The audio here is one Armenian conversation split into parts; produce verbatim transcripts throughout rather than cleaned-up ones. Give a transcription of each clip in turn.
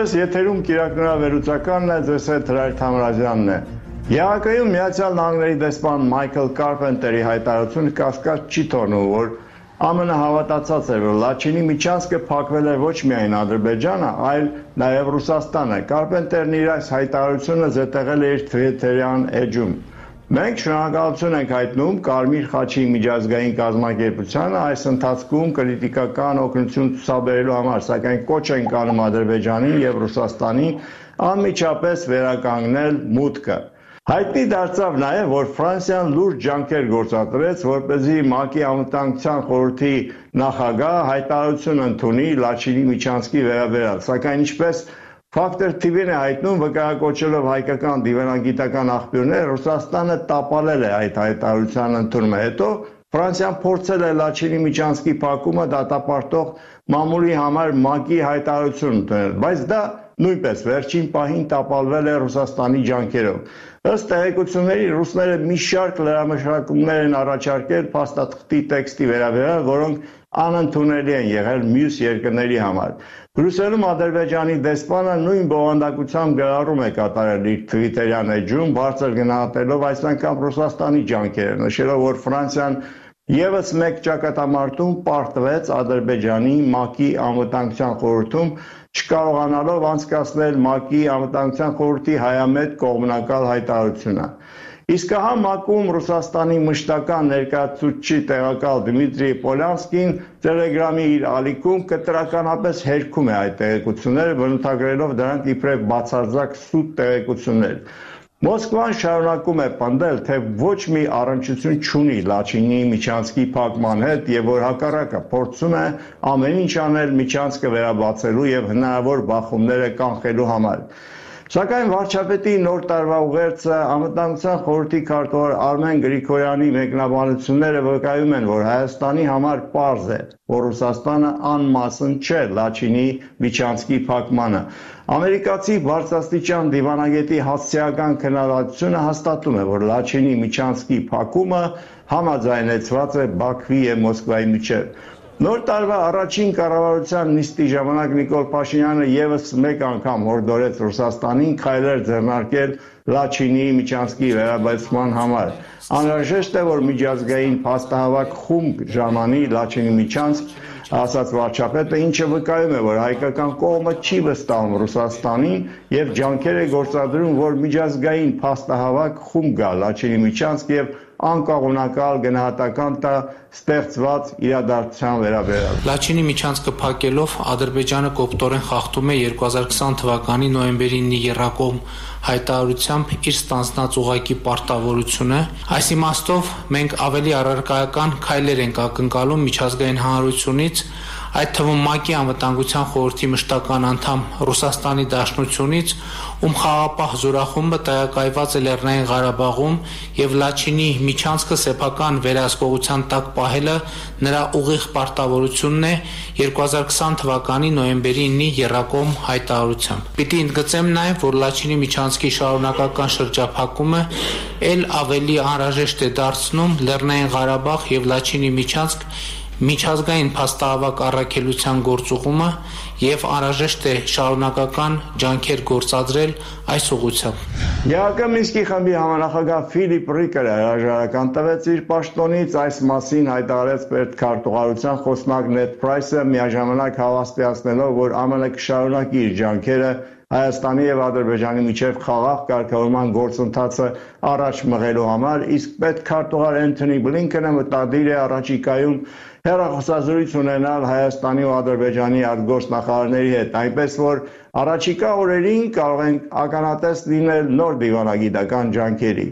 Այսպես եթերում կիրակնորավերուցականն է, ձեզ հետ Հրայր Թամրազյանն է։ ԵԱՀԿ-ում Միացյալ Նահանգների դեսպան Մայքլ Կարպենտերի հայտարարությունը կասկած չի թողնում, որ ԱՄՆ հավատացած էր, որ Լաչինի միջանցքը փակվել է ոչ միայն Ադրբեջանը, այլ նաև Ռուսաստանը։ Կարպենտերն իր այս հայտարարությունը զետեղել է իր Թվիթերյան էջում։ Մենք շնորհակալություն ենք հայտնում Կարմիր խաչի միջազգային կազմակերպությանը այս ընթացքում կրիտիկական օգնություն ցուցաբերելու համար, սակայն կոչ ենք անում Ադրբեջանին եւ Ռուսաստանին անմիջապես վերականգնել մուտքը։ Հայտնի դարձավ նաև, որ Ֆրանսիան լուրջ ջանքեր գործադրեց, որպեսզի ՄԱԿ-ի անվտանգության խորհրդի նախագահ հայտարարություն ընդունի Լաչինի միջանցքի վերաբերյալ, սակայն ինչպես Factor T V-ն է հայտնում, վկայակոչելով հայկական դիվանագիտական աղբյուրներ, Ռուսաստանը տապալել է այդ հայտարարության ընդունումը։ Հետո Ֆրանսիան փորձել է Լաչինի միջանցքի փակումը դատապարտող մամուլի համար ՄԱԿ-ի հայտարարություն ընդունել, բայց դա նույնպես վերջին պահին տապալվել է Ռուսաստանի ջանքերով։ Ըստ տեղեկությունների, ռուսները մի շարք լրամշակումներ են առաջարկել փաստաթղթի տեքստի վերաբերյալ, որոնք անընդունելի են եղել մյուս երկրների համար։ Բրյուսելում Ադրբեջանի դեսպանը նույն բովանդակությամբ գրառում է կատարել իր Թվիթերյան էջում, բարձր գնահատելով այս անգամ Ռուսաստանի ջանքերը, նշելով, որ Ֆրանսիան Եվս մեկ ճակատամարտում պարտվեց Ադրբեջանի ՄԱԿ-ի անվտանգության խորհրդում, չկարողանալով անցկացնել ՄԱԿ-ի անվտանգության խորհրդի հայամետ կողմնակալ հայտարարությունը։ Իսկ ահա ՄԱԿ-ում Ռուսաստանի մշտական ներկայացուցիչ տեղակալ Դմիտրի Պոլյանսկին Տելեգրամի իր ալիքում կտրականապես հերքում է այդ տեղեկությունները, բնութագրելով դրանք իբրև բացարձակ սուտ տեղեկություններ։ Մոսկվան շարունակում է պնդել, թե ոչ մի առնչություն չունի Լաչինի միջանցքի փակման հետ եւ որ հակառակը փորձում է ամեն ինչ անել միջանցքը վերաբացելու եւ հնարավոր բախումները կանխելու համար։ Սակայն վարչապետի նոր տարվա ուղերձը անվտանգության խորհրդի քարտուղար Արմեն Գրիգորյանի մեկնաբանությունները վկայում են, որ Հայաստանի համար պարզ է, որ Ռուսաստանը անմասն չէ Լաչինի միջանցքի փակմանը։ Ամերիկացի բարձրաստիճան դիվանագետի հասցեական քննադատությունը հաստատում է, որ Լաչինի միջանցքի փակումը համաձայնեցված է Բաքվի եւ Մոսկվայի միջեւ։ Նոր տարվա առաջին կառավարության նիստի ժամանակ Նիկոլ Փաշինյանը եւս մեկ անգամ հորդորեց Ռուսաստանին քայլեր ձեռնարկել Լաչինի միջանցքի վերաբացման համար։ Անհրաժեշտ է, որ միջազգային փաստահավաք խումբ ժամանի Լաչինի միջանցք, ասաց վարչապետը, ինչը վկայում է, որ հայկական կողմը չի վստահում Ռուսաստանին եւ ջանքեր է գործադրում, որ միջազգային փաստահավաք խումբ գա Լաչինի միջանցք եւ անկողմնակալ գնահատական տա ստեղծված իրադարձության վերաբերյալ։ Լաչինի միջանցքը փակելով Ադրբեջանը կոպտորեն խախտում է երկու հազար քսան թվականի նոյեմբերին եռակողմ հայտարարությամբ իր ստանձնած ուղղակի պարտավորությունը։ Այս իմաստով մենք ավելի առարկայական քայլեր ենք ակնկալում միջազգային հանրությունից, այդ թվում ՄԱԿ-ի անվտանգության խորհրդի մշտական անդամ Ռուսաստանի Դաշնությունից, ում խաղաղապահ զորախումբը տեղակայված է Լեռնային Ղարաբաղում եւ Լաչինի միջանցքը սեփական վերահսկողության տակ պահելը նրա ուղիղ պարտավորությունն է երկու հազար քսան թվականի նոյեմբերի ինի եռակողմ հայտարարությամբ։ Պիտի ընդգծեմ նաեւ, որ Լաչինի միջանցքի շարունակական շրջափակումը ել ավելի անհրաժեշտ է դարձնում Լեռնային Ղարաբաղ եւ Լաչինի միջանցք միջազգային փաստահավաք առաքելության գործուղումը եւ անհրաժեշտ է շարունակական ջանքեր գործադրել այս ուղղությամբ։ ԵԱՀԿ Մինսկի խմբի համանախագահ Ֆիլիպ Ռիկերը հրաժարական տվեց իր պաշտոնից, այս մասին հայտարարեց պետքարտուղարության խոսնակ Նեդ Պրայսը, միաժամանակ հավաստիացնելով, որ ԱՄՆ կշարունակի իր ջանքերը Հայաստանի եւ Ադրբեջանի միջև խաղաղ կարգավորման գործընթացը առաջ մղելու համար, իսկ պետքարտուղար Էնթոնի Բլինքենը մտադիր է առաջիկայում հեռախոսազրույց ունենալ Հայաստանի ու Ադրբեջանի արտգործնախարարների հետ, այնպես որ առաջիկա օրերին կարող են ականատես լինել նոր դիվանագիտական ջանքերի։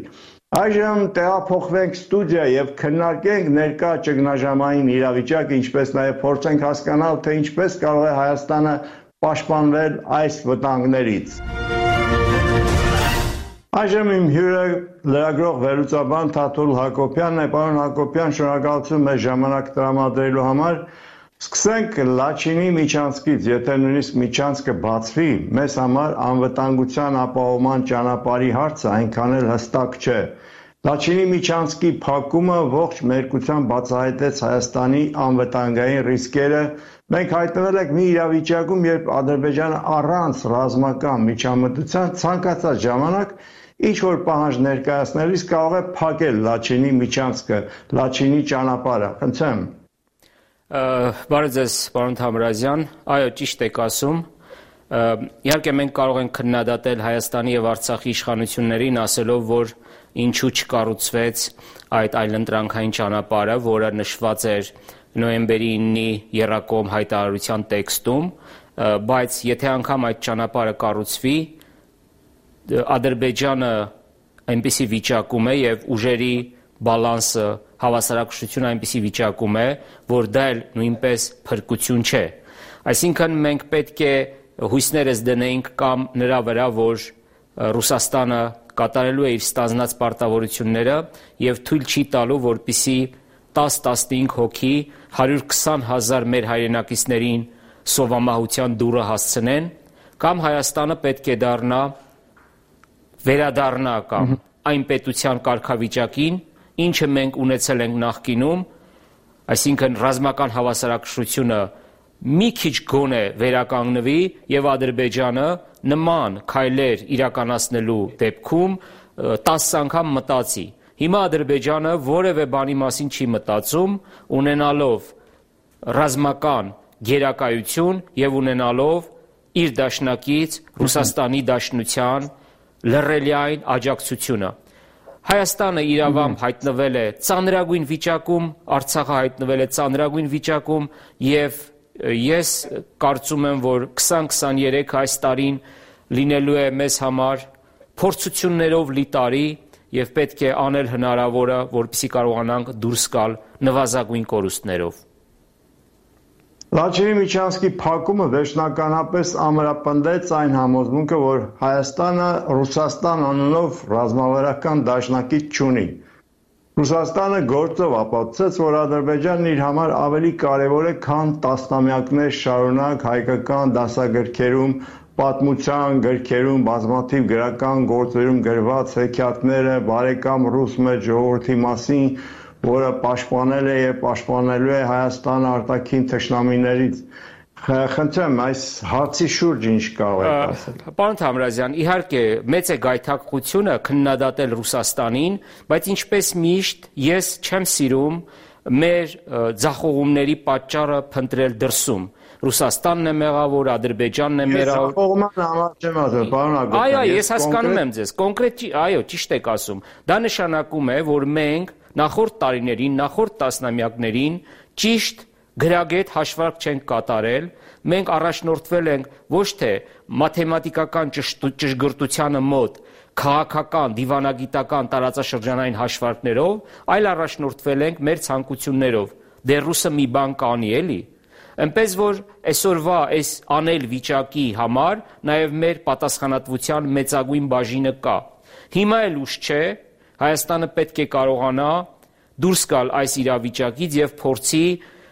Այժմ տեղափոխվենք ստուդիա եւ քննարկենք ներկա ճգնաժամային իրավիճակը, ինչպես նաեւ փորձենք հասկանալ, թե ինչպես կարող է Հայաստանը պաշտպանվել այս վտանգներից։ Այժմ իմ հյուրը լրագրող վերլուծաբան Թաթուլ Հակոբյանն է։ Պարոն Հակոբյան, շնորհակալություն մեզ ժամանակ տրամադրելու համար։ Սկսենք Լաչինի միջանցքից, եթե նույնիսկ միջանցքը բացվի, մեզ համար անվտանգության ապահովման ճանապարհի հարցը այնքան էլ հստակ չէ։ Լաչինի միջանցքի փակումը ողջ մերկության բացահայտեց Հայաստանի անվտանգային ռիսկերը։ Մենք հայտնվել ենք մի իրավիճակում, երբ Ադրբեջանը առանց ռազմական միջամտության ցանկացած ժամանակ ինչ-որ պահանջ ներկայացնելիս կարող է փակել Լաչինի միջանցքը, Լաչինի ճանապարհը։ Խնդրեմ։ Բարև ձեզ, պարոն Թամրազյան, այո, ճիշտ եք ասում։ Իհարկե մենք կարող ենք քննադատել Հայաստանի եւ Արցախի իշխանություններին, ասելով, որ ինչու չկառուցվեց այդ այլընտրանքային ճանապարհը, որը նշված էր նոյեմբերի իննի եռակողմ հայտարարության տեքստում, բայց եթե անգամ այդ ճանապարհը կառուցվի, Ադրբեջանը այնպիսի վիճակում է եւ ուժերի բալանսը, հավասարակշռությունը այնպիսի վիճակում է, որ դա էլ նույնպես փրկություն չէ։ Այսինքն մենք պետք է հույսներս դնեինք կամ նրա վրա, որ Ռուսաստանը կատարելու է իր ստանձնած պարտավորությունները եւ թույլ չի տալու, որպիսի տասը-տասնհինգ հոգի հարյուր քսան հազար մեր հայրենակիցներին սովամահության դուռը հասցնեն, կամ Հայաստանը պետք է դառնա վերադառնա կամ այն պետության կարգավիճակին, ինչը մենք ունեցել ենք նախկինում, այսինքն ռազմական հավասարակշռությունը մի քիչ գոնե վերականգնվի եւ Ադրբեջանը նման քայլեր իրականացնելու դեպքում տասը անգամ մտածի։ Հիմա Ադրբեջանը որևէ բանի մասին չի մտածում, ունենալով ռազմական գերակայություն եւ ունենալով իր դաշնակից Ռուսաստանի Դաշնության լռելիային աջակցությունը։ Հայաստանը իրավամբ հայտնվել է ծանրագույն վիճակում, Արցախը հայտնվել է ծանրագույն վիճակում եւ ես կարծում եմ, որ քսան քսաներեք այս տարին լինելու է մեզ համար փորձություններով լի տարի եւ պետք է անել հնարավորը, որպեսզի կարողանանք դուրս գալ նվազագույն կորուստներով։ Լաչինի միջանցքի փակումը վերջնականապես ամրապնդեց այն համոզմունքը, որ Հայաստանը Ռուսաստան անունով ռազմավարական դաշնակից չունի։ Ռուսաստանը գործով ապացուցեց, որ Ադրբեջանն իր համար ավելի կարևոր է, քան տասնամյակներ շարունակ հայկական դասագրքերում, պատմության գրքերում, բազմաթիվ գրական գործերում գրված հեքիաթները բարեկամ ռուս մեծ ժողովրդի մասին, որը պաշտպանել է եւ պաշտպանելու է Հայաստանը արտաքին թշնամիներից։ Խնդրեմ, այս հարցի շուրջ ինչ կարող եք ասել։ Պարոն Թամրազյան, իհարկե մեծ է գայթակղությունը քննադատել Ռուսաստանին, բայց ինչպես միշտ ես չեմ սիրում մեր ձախողումների պատճառը փնտրել դրսում։ Ռուսաստանն է մեղավոր, Ադրբեջանն է մեղավոր։ Ձախողման համար չեմ ասում, պարոն Ագոպյան։ Այո, ես հասկանում եմ ձեզ, կոնկրետ, այո, ճիշտ եք ասում։ Դա նշանակում է, որ մենք նախորդ տարիներին, նախորդ տասնամյակներին ճիշտ գրագետ հաշվարկ չենք կատարել, մենք առաջնորդվել ենք ոչ թե մաթեմատիկական ճշգրտությանը մոտ, քաղաքական, դիվանագիտական, տարածաշրջանային հաշվարկներով, այլ առաջնորդվել ենք մեր ցանկություններով։ Դե ռուսը մի բան կանի էլի։ Այնպես որ այսօրվա այս անել վիճակի համար նաև մեր պատասխանատվության մեծագույն բաժինը կա։ Հիմա էլ ուշ չէ, Հայաստանը պետք է կարողանա դուրս գալ այս իրավիճակից եւ փորձի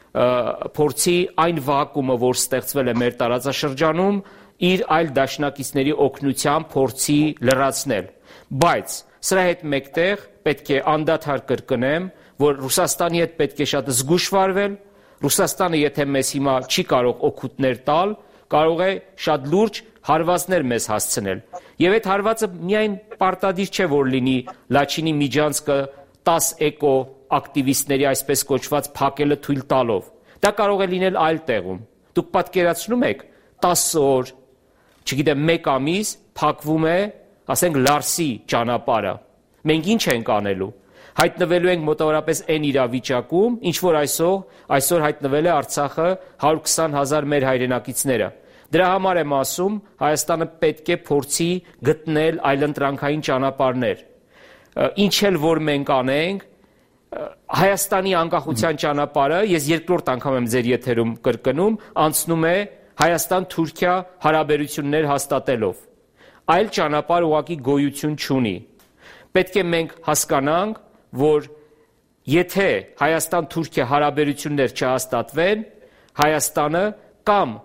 փորձի այն վակուումը, որ ստեղծվել է մեր տարածաշրջանում, իր այլ դաշնակիցների օգնությամբ փորձի լրացնել։ Բայց սրա հետ մեկտեղ պետք է անդադար կրկնեմ, որ Ռուսաստանի հետ պետք է շատ զգուշ վարվել։ Ռուսաստանը, եթե մեզ հիմա չի կարող օգուտներ տալ, կարող է շատ լուրջ հարվածներ մեզ հասցնել։ Եվ այդ հարվածը միայն պարտադիր չէ, որ լինի Լաչինի միջանցքը տասը էկո ակտիվիստների այսպես կոչված փակելը թույլ տալով։ Դա կարող է լինել այլ տեղում։ Դուք պատկերացնում եք տասը օր, չգիտեմ, մեկ ամիս փակվում է, ասենք Լարսի ճանապարհը։ Մենք ինչ ենք անելու։ Հայտնվելու ենք մոտավորապես այն իրավիճակում, ինչ որ այսօր այսօր հայտնվել է Արցախը հարյուր քսան հազար մեր հայրենակիցները։ Դրա համար եմ ասում, Հայաստանը պետք է փորձի գտնել այլընտրանքային ճանապարհներ։ Ինչ էլ որ մենք անենք, Հայաստանի անկախության ճանապարհը, ես երկրորդ անգամ եմ ձեր եթերում կրկնում, անցնում է Հայաստան-Թուրքիա հարաբերություններ հաստատելով։ Այլ ճանապարհ ուղղակի գոյություն չունի։ Պետք է մենք հասկանանք, որ եթե Հայաստան-Թուրքիա հարաբերություններ չհաստատվեն, Հայաստանը կամ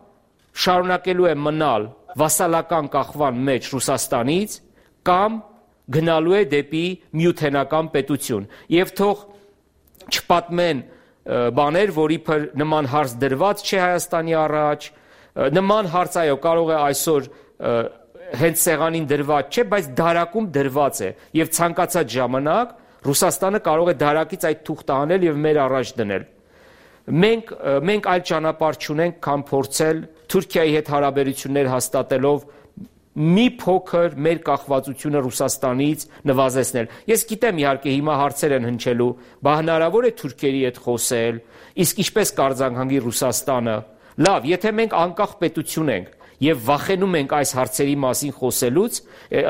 շարունակելու է մնալ վասալական կախման մեջ Ռուսաստանից, կամ գնալու է դեպի միութենական պետություն։ Եվ թող չպատմեն բաներ, որ իբր նման հարց դրված չէ Հայաստանի առաջ, նման հարց այո կարող է այսօր հենց սեղանին դրված չէ, բայց դարակում դրված է եւ ցանկացած ժամանակ Ռուսաստանը կարող է դարակից այդ թուղթը անել եւ մեր առաջ դնել։ Մենք մենք այլ ճանապարհ չունենք, քան փորձել Թուրքիայի հետ հարաբերություններ հաստատելով մի փոքր մեր կախվածությունը Ռուսաստանից նվազեցնել։ Ես գիտեմ իհարկե հիմա հարցեր են հնչելու, բա հնարավոր է թուրքերի հետ խոսել, իսկ ինչպես կարձանհանգի Ռուսաստանը։ Լավ, եթե մենք անկախ պետություն ենք եւ վախենում ենք այս հարցերի մասին խոսելուց,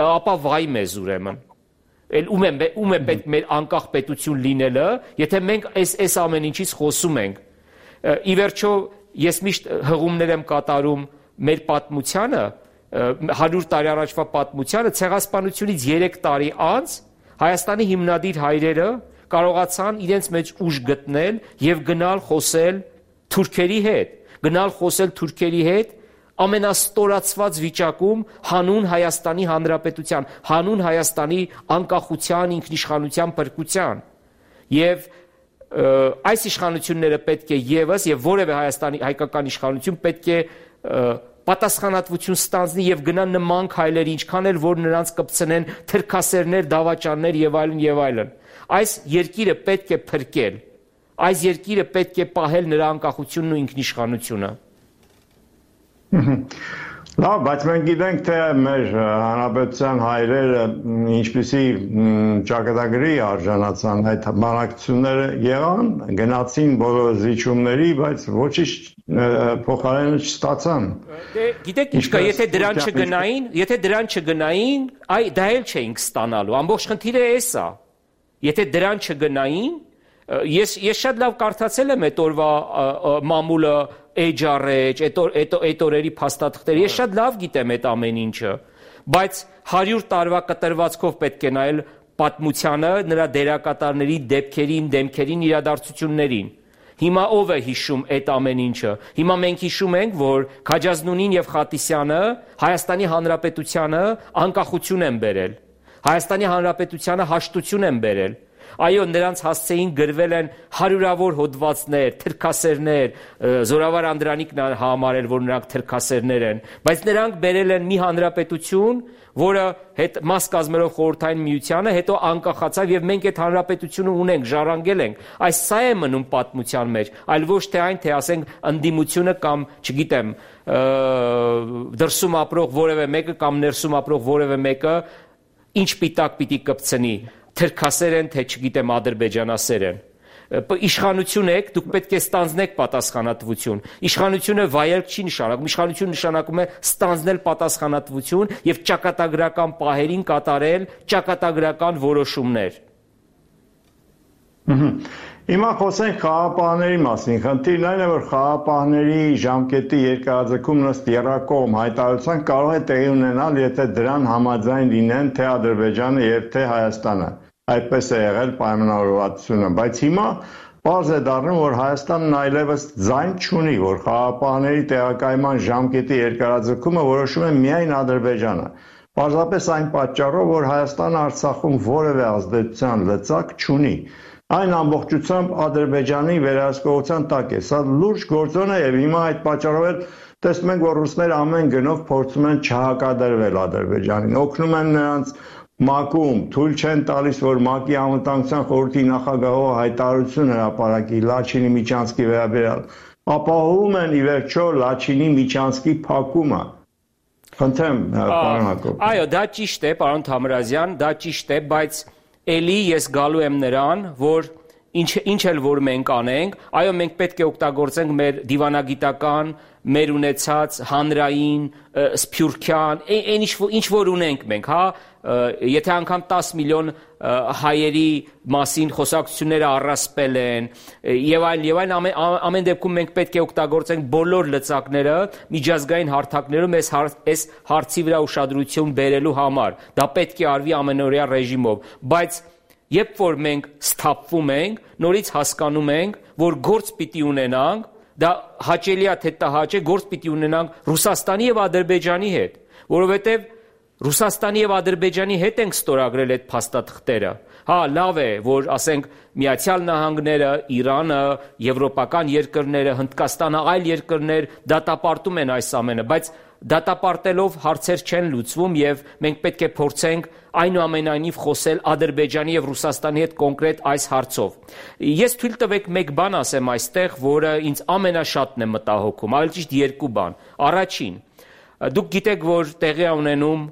ապա վայ մեզ ուրեմն։ Էլ ում է ում է պետք մեր անկախ պետություն լինելը, եթե մենք այս այս ամեն ինչից խոսում ենք։ Ի վերջո ես միշտ հղումներ եմ կատարում մեր պատմությանը, հարյուր տարի առաջվա պատմությանը, ցեղասպանությունից երեք տարի անց Հայաստանի հիմնադիր հայրերը կարողացան իրենց մեջ ուժ գտնել եւ գնալ խոսել թուրքերի հետ, գնալ խոսել թուրքերի հետ ամենաստորացված վիճակում հանուն Հայաստանի Հանրապետության, հանուն Հայաստանի անկախության, ինքնիշխանության փրկության։ Եվ այս իշխանությունները պետք է եւս եւ որևէ Հայաստանի հայկական իշխանություն պետք է պատասխանատվություն ստանձնի եւ գնա նման քայլեր, ինչքան էլ որ նրանց կպցնեն թրքասերներ, դավաճաններ եւ այլն եւ այլն։ Այս երկիրը պետք է փրկել։ Այս երկիրը պետք է պահել նրա անկախությունն ու ինքնիշխանությունը։ Լավ, բայց մենք գիտենք, թե մեր հանրապետության հայրերը ինչպիսի ճակատագրի արժանացան այդ բանակցությունները եղան, գնացին բոլոր զիջումների, բայց ոչինչ փոխարենը չստացան։ Դե գիտեք ինչ կա, եթե դրան չգնային, եթե դրան չգնային, այ դա էլ չէինք ստանալու։ Ամբողջ խնդիրը էս է։ Եթե դրան չգնային, ես ես շատ լավ կարդացել եմ այդ օրվա մամուլը էջարեջ, այդ օրերի փաստաթղթերը, ես շատ լավ գիտեմ այդ ամեն ինչը, բայց հարյուր տարվա կտրվածքով պետք է նայել պատմությանը, նրա դերակատարների դեպքերին, դեմքերին, իրադարձություններին։ Հիմա ով է հիշում այդ ամեն ինչը։ Հիմա մենք հիշում ենք, որ Քաջազնունին եւ Խատիսյանը Հայաստանի Հանրապետությանը անկախություն են բերել։ Հայաստանի Հանրապետությանը հաշտություն են բերել։ Այո, նրանց հասցեին գրվել են հարյուրավոր հոդվածներ, թրքասերներ, Զորավար Անդրանիկն համարել, որ նրանք թրքասերներ են, բայց նրանք բերել են մի հանրապետություն, որը հետ մաս կազմելով խորհրդային միությանը, հետո անկախացավ եւ մենք այդ հանրապետությունը ունենք, ժառանգել ենք։ Այս սա է մնում պատմության մեջ, այլ ոչ թե այն, թե ասենք ընդդիմությունը կամ, չգիտեմ, դրսում ապրող որևէ մեկը կամ ներսում ապրող որևէ մեկը ինչ պիտակ պիտի կպցնի, թրքասեր են, թե չգիտեմ ադրբեջանասեր են։ Իշխանություն եք, դուք պետք է ստանձնեք պատասխանատվություն։ Իշխանությունը վայել չի նշանակում, իշխանություն նշանակում է ստանձնել պատասխանատվություն եւ ճակատագրական պահերին կատարել ճակատագրական որոշումներ։ Հիմա խոսենք խաղապահների մասին։ Խնդիրն այն է, որ խաղապահների ժամկետի երկարաձգումն ըստ եռակողմ հայտարարության կարող է տեղի ունենալ, եթե դրան համաձայն լինեն թե Ադրբեջանը եւ թե Հայաստանը։ Այդպես է եղել պայմանավորվածությունը, բայց հիմա պարզ է դառնում, որ Հայաստանն այլևս ձայն չունի, որ խաղապահների տեղակայման ժամկետի երկարաձգումը որոշում է միայն Ադրբեջանը։ Պարզապես այն պատճառով, որ Հայաստանը Արցախում որևէ ազդեցության լծակ չունի։ Այն ամբողջությամբ Ադրբեջանի վերահսկողության տակ է։ Սա լուրջ գործոն է եւ հիմա այդ պատճառով էլ տեսնում ենք, որ ռուսները ամեն գնով փորձում են չհակադրվել Ադրբեջանին, օգնում են նրանց ՄԱԿ-ում, թույլ չեն տալիս, որ ՄԱԿ-ի անվտանգության խորհրդի նախագահողը հայտարարություն հրապարակի Լաչինի Միչանսկի վերաբերյալ, ապահովում են ի վերջո Լաչինի Միչանսկի փակումը։ Խնդրեմ, պարոն Հակոբ։ Այո, դա ճիշտ է, պարոն Թամրազյան, դա ճիշտ է, բայց էլի ես գալու եմ նրան, որ ինչ ինչ էլ որ մենք անենք, այո, մենք պետք է օգտագործենք մեր դիվանագիտական, մեր ունեցած հանրային, սփյուռքյան, այն ինչ որ ունենք մենք, հա, եթե անգամ տասը միլիոն հայերի մասին խոսակցությունները առասպել են, եւ այլն, եւ այլն, ամեն դեպքում մենք պետք է օգտագործենք բոլոր լծակները միջազգային հարթակներում այս այս հարցի վրա ուշադրություն բերելու համար։ Դա պետք է արվի ամենօրյա ռեժիմով, բայց երբ որ մենք սթափվում ենք, նորից հասկանում ենք, որ գործ պիտի ունենանք, դա հաճելի է թե տհաճ է, գործ պիտի ունենանք Ռուսաստանի եւ Ադրբեջանի հետ, որովհետեւ Ռուսաստանի եւ Ադրբեջանի հետ ենք ստորագրել այդ փաստաթղթերը։ Հա, լավ է, որ ասենք Միացյալ Նահանգները, Իրանը, եվրոպական երկրները, Հնդկաստանը, այլ երկրներ դատապարտում են այս ամենը, բայց դատապարտելով հարցեր չեն լուծվում եւ մենք պետք է փորձենք այնուամենայնիվ խոսել Ադրբեջանի եւ Ռուսաստանի հետ կոնկրետ այս հարցով։ Ես թույլ տվեք մեկ բան ասեմ այստեղ, որը ինձ ամենաշատն է մտահոգում, ավելի ճիշտ երկու բան։ Առաջին, դուք գիտեք, որ տեղի է ունենում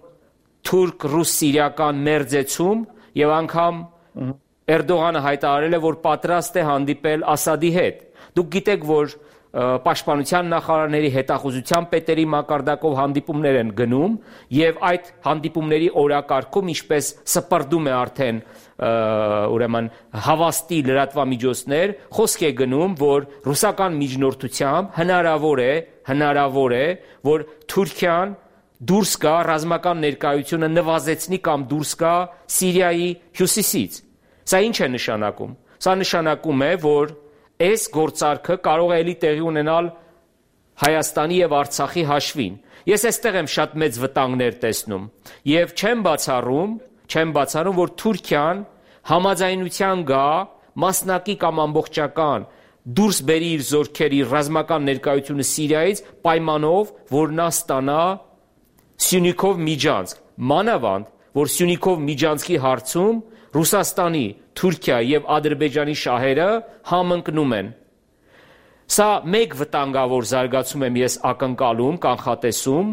թուրք-ռուս-սիրիական մերձեցում եւ անգամ Էրդողանը հայտարարել է, որ պատրաստ է հանդիպել Ասադի հետ։ Դուք գիտեք, որ պաշտպանության նախարարների հետախուզության պետերի մակարդակով հանդիպումներ են գնում եւ այդ հանդիպումների օրակարգում, ինչպես սպրդում է արդեն ուրեմն հավաստի լրատվամիջոցներ, խոսք է գնում, որ ռուսական միջնորդությամբ հնարավոր է, հնարավոր է, որ Թուրքիան դուրս գա ռազմական ներկայությունը նվազեցնի կամ դուրս գա Սիրիայի հյուսիսից։ Սա ինչ է նշանակում։ Սա նշանակում է, որ այս գործարքը կարող է էլի տեղի ունենալ Հայաստանի եւ Արցախի հաշվին։ Ես այստեղ եմ շատ մեծ վտանգներ տեսնում եւ չեմ բացառում, չեմ բացառում, որ Թուրքիան համաձայնության գա մասնակի կամ ամբողջական դուրս բերի իր զորքերի ռազմական ներկայությունը Սիրիայից պայմանով, որ նա ստանա Սյունիքով Միջանցք, մանավանդ, որ Սյունիքով Միջանցքի հարցում Ռուսաստանի, Թուրքիա եւ Ադրբեջանի շահերը համընկնում են։ Սա մեկ վտանգավոր զարգացում եմ ես ակնկալում, կանխատեսում։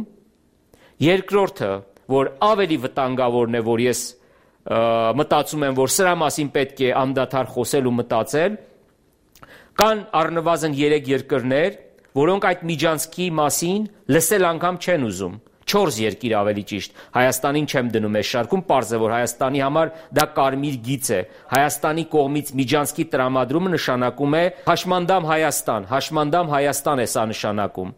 Երկրորդը, որ ավելի վտանգավորն է, որ ես մտածում եմ, որ սրա մասին պետք է անդադար խոսել ու մտածել, կան առնվազն երեք երկրներ, որոնք այդ Միջանցքի մասին լսել անգամ չեն ուզում։ Չորս երկիր ավելի ճիշտ, Հայաստանին չեմ դնում այս շարքում, պարզ է, որ Հայաստանի համար դա կարմիր գիծ է։ Հայաստանի կողմից Միջանցքի տրամադրումը նշանակում է հաշմանդամ Հայաստան, հաշմանդամ Հայաստան է սա նշանակում։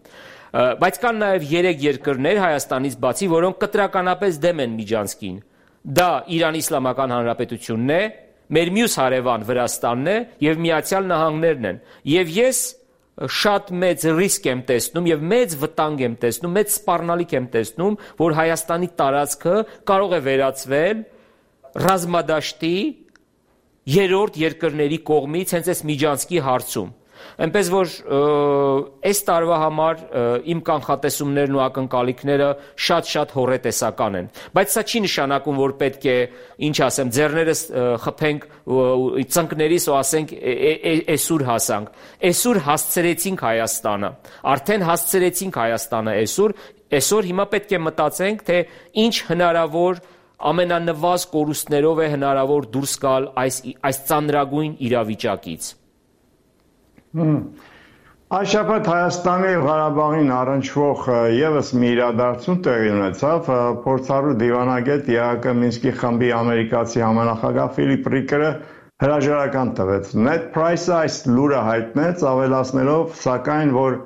Բայց կան նաև երեք երկրներ Հայաստանից բացի, որոնք կտրականապես դեմ են Միջանցքին։ Դա Իրանի Իսլամական Հանրապետությունն է, մեր մյուս հարևան Վրաստանն է եւ Միացյալ Նահանգներն են։ Եվ ես շատ մեծ ռիսկ եմ տեսնում եւ մեծ վտանգ եմ տեսնում, մեծ սպառնալիք եմ տեսնում, որ Հայաստանի տարածքը կարող է վերածվել ռազմադաշտի երրորդ երկրների կողմից հենց այս Միջանցքի հարցում։ Այնպես որ այս տարվա համար իմ կանխատեսումներն ու ակնկալիքները շատ-շատ հոռետեսական են, բայց սա չի նշանակում, որ պետք է, ինչ ասեմ, ձեռներս խփենք ծնկներիս ու ասենք այսօր հասանք։ Այսօր հասցրեցինք Հայաստանը, արդեն հասցրեցինք Հայաստանը այսօր, այսօր հիմա պետք է մտածենք, թե ինչ հնարավոր ամենանվազ կորուստներով է հնարավոր դուրս գալ այս այս ծանրագույն իրավիճակից։ Այս շաբաթ Հայաստանի եւ Ղարաբաղին առնչվող եւս մի իրադարձություն տեղի ունեցավ, փորձառու դիվանագետ ԵԱԿ Մինսկի խմբի ամերիկացի համանախագահ Ֆիլիպ Ռիկերը հրաժարական տվեց։ Ned Price-ը այս լուրը հայտնեց, ավելացնելով, սակայն, որ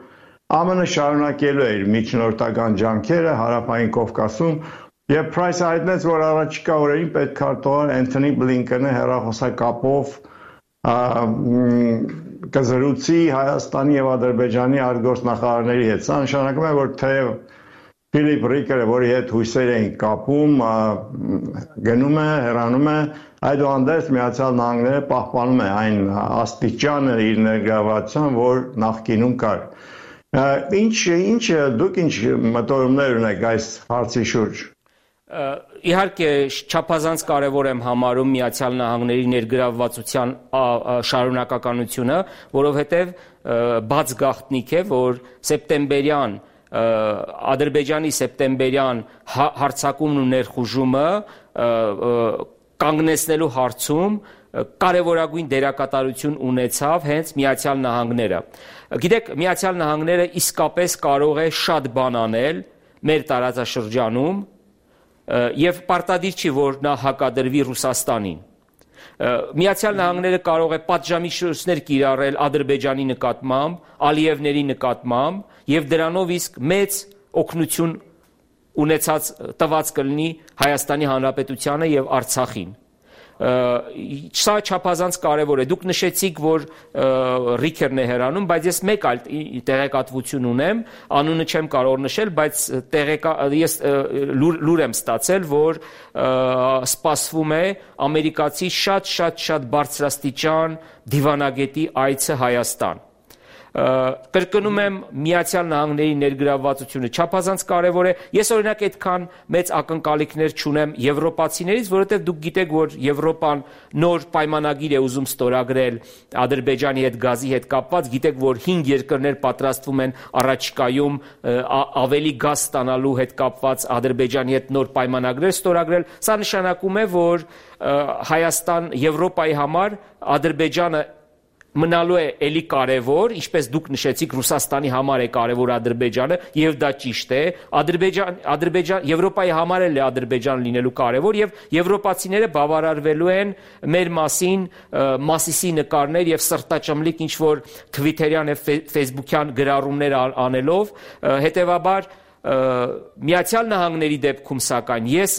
ԱՄՆ-ը շարունակելու է իր միջնորդական ջանքերը Հարավային Կովկասում, եւ Price-ը հայտնեց, որ առաջիկա օրերին պետքարտուղար Էնթոնի Բլինկենը հեռախոսակապով կզրուցի Հայաստանի եւ Ադրբեջանի արտգործնախարարների հետ։ Սա նշանակում է, որ թեև Ֆիլիպ Ռիկերը, որի հետ հույսեր էին կապում, գնում է, հեռանում է, այդուհանդերձ Միացյալ Նահանգները պահպանում է այն աստիճանը իր ներգրավվածության, որ նախկինում կար։ Ինչ, ինչ, դուք ինչ մտորումներ ունեք այս հարցի շուրջ։ Իհարկե չափազանց կարևոր եմ համարում Միացյալ Նահանգների ներգրավվածության շարունակականությունը, որովհետև բաց գաղտնիք է, որ սեպտեմբերյան Ադրբեջանի սեպտեմբերյան հարձակումն ու ներխուժումը կանգնեցնելու հարցում կարևորագույն դերակատարություն ունեցավ հենց Միացյալ Նահանգները։ Գիտեք, Միացյալ Նահանգները իսկապես կարող է շատ բան անել մեր տարածաշրջանում եւ պարտադիր չի, որ նա հակադրվի Ռուսաստանին։ Միացյալ Նահանգները կարող է պատժամիջոցներ կիրառել Ադրբեջանի նկատմամբ, Ալիևների նկատմամբ եւ դրանով իսկ մեծ օգնություն ունեցած տված կլինի Հայաստանի Հանրապետությանը եւ Արցախին։ Սա չափազանց կարևոր է։ Դուք նշեցիք, որ Ռիքերն է հեռանում, բայց ես մեկ այլ տեղեկատվություն ունեմ, անունը չեմ կարող նշել, բայց ես լուր եմ ստացել, որ սպասվում է ամերիկացի շատ-շատ-շատ բարձրաստիճան դիվանագետի այցը Հայաստան։ Կրկնում եմ, Միացյալ Նահանգների ներգրավվածությունը չափազանց կարևոր է։ Ես օրինակ այդքան մեծ ակնկալիքներ չունեմ եվրոպացիներից, որովհետև դուք գիտեք, որ Եվրոպան նոր պայմանագիր է ուզում ստորագրել Ադրբեջանի հետ գազի հետ կապված, գիտեք, որ հինգ երկրներ պատրաստվում են առաջիկայում ավելի գազ ստանալու հետ կապված Ադրբեջանի հետ նոր պայմանագրեր ստորագրել։ Սա նշանակում է, որ Հայաստան, Եվրոպայի համար Ադրբեջանը մնալու է էլի կարևոր, ինչպես դուք նշեցիք, Ռուսաստանի համար է կարևոր Ադրբեջանը, եւ դա ճիշտ է։ Ադրբեջան, Ադրբեջան, Եվրոպայի համար էլ է Ադրբեջան լինելու կարևոր, եւ եվրոպացիները բավարարվելու են մեր մասին Մասիսի նկարներ եւ սրտաճմլիկ ինչ որ թվիթերյան եւ ֆեյսբուքյան գրառումներ անելով, հետեւաբար Միացյալ Նահանգների դեպքում սակայն ես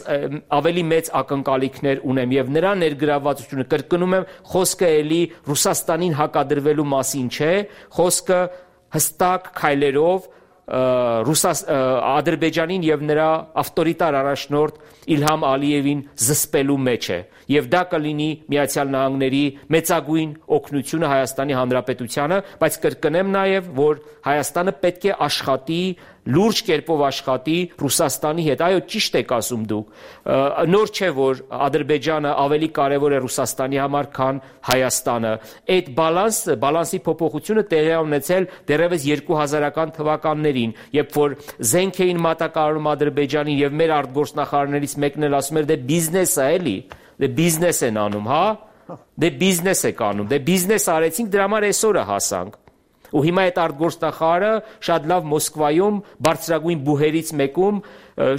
ավելի մեծ ակնկալիքներ ունեմ եւ նրա ներգրավվածությունը, կրկնում եմ, խոսքը էլի Ռուսաստանին հակադրվելու մասին չէ, խոսքը հստակ քայլերով Ադրբեջանին եւ նրա ավտորիտար առաջնորդ Իլհամ Ալիևին զսպելու մեջ է եւ դա կլինի Միացյալ Նահանգների մեծագույն օգնությունը Հայաստանի Հանրապետությանը, բայց կրկնեմ նաեւ, որ Հայաստանը պետք է աշխատի լուրջ կերպով աշխատի Ռուսաստանի հետ։ Այո, ճիշտ եք ասում դուք։ Նոր չէ, որ Ադրբեջանը ավելի կարևոր է Ռուսաստանի համար, քան Հայաստանը։ Այդ բալանսը, բալանսի փոփոխությունը տեղի է ունեցել դեռևս երկու հազարական թվականներին, երբ որ զենք էին մատակարարում Ադրբեջանին եւ մեր արտգործնախարարներից մեկն էլ ասում էր, դե բիզնես է էլի, դե բիզնես են անում, հա։ Դե բիզնես եք անում, դե բիզնես արեցինք, դրա համար այսօրը հասանք։ Ու հիմա այդ արտգործնախարարը շատ լավ Մոսկվայում բարձրագույն բուհերից մեկում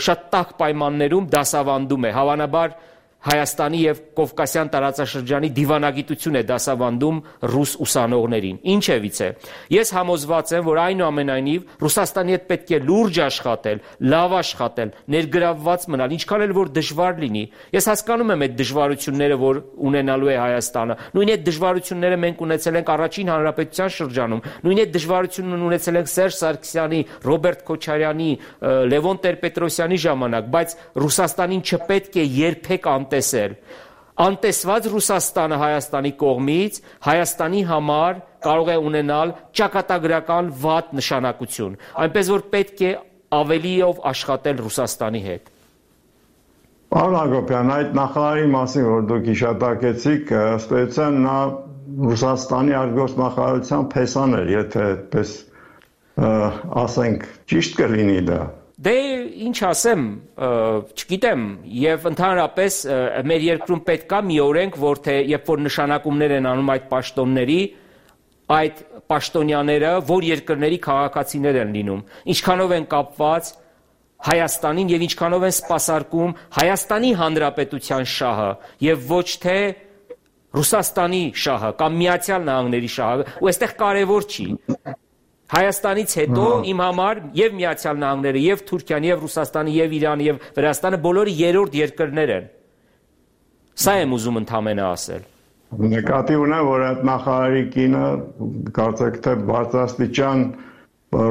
շատ տաք պայմաններում դասավանդում է, հավանաբար Հայաստանի եւ Կովկասյան տարածաշրջանի դիվանագիտություն է դասավանդում ռուս ուսանողներին։ Ինչևից է։ Ես համոզված եմ, որ այնուամենայնիվ Ռուսաստանի հետ պետք է լուրջ աշխատել, լավ աշխատել, ներգրավված մնալ, ինչքան էլ որ դժվար լինի։ Ես հասկանում եմ այդ դժվարությունները, որ ունենալու է Հայաստանը։ Նույն այդ դժվարությունները մենք ունեցել ենք Առաջին Հանրապետության շրջանում։ Նույն այդ դժվարությունն ունեցել ենք Սերժ Սարգսյանի, Ռոբերտ Քոչարյանի, Լևոն Տեր-Պետրոսյանի ժամանակ, բայց Ռուսաստանին չպետք է երբեք տեսել։ Անտեսված Ռուսաստանը Հայաստանի կողմից Հայաստանի համար կարող է ունենալ ճակատագրական վատ նշանակություն, այնպես որ պետք է ավելիով աշխատել Ռուսաստանի հետ։ Պարոն Հակոբյան, այդ նախարարի մասին, որ դուք հիշատակեցիք, ըստ էության նա Ռուսաստանի արտգործնախարարության փեսան էր, եթե այդպես ասենք, ճիշտ կլինի դա։ Դե ինչ ասեմ, չգիտեմ, եւ ընդհանրապես մեր երկրում պետք է մի օրենք, որ թե երբ որ նշանակումներ են անում այդ պաշտոնների, այդ պաշտոնյաները որ երկրների քաղաքացիներ են լինում, ինչքանով են կապված Հայաստանին եւ ինչքանով են սպասարկում Հայաստանի Հանրապետության շահը եւ ոչ թե Ռուսաստանի շահը կամ Միացյալ Նահանգների շահը, ու այստեղ կարևոր չի։ Հայաստանից հետո իմ համար եւ Միացյալ Նահանգները, եւ Թուրքիան, եւ Ռուսաստանը, եւ Իրանը, եւ Վրաստանը բոլորը երրորդ երկրներ են։ Սա եմ ուզում ընդհանրապես ասել։ Նկատի ունեմ, որ այդ նախարարի կինը կարծեք թե բարձրաստիճան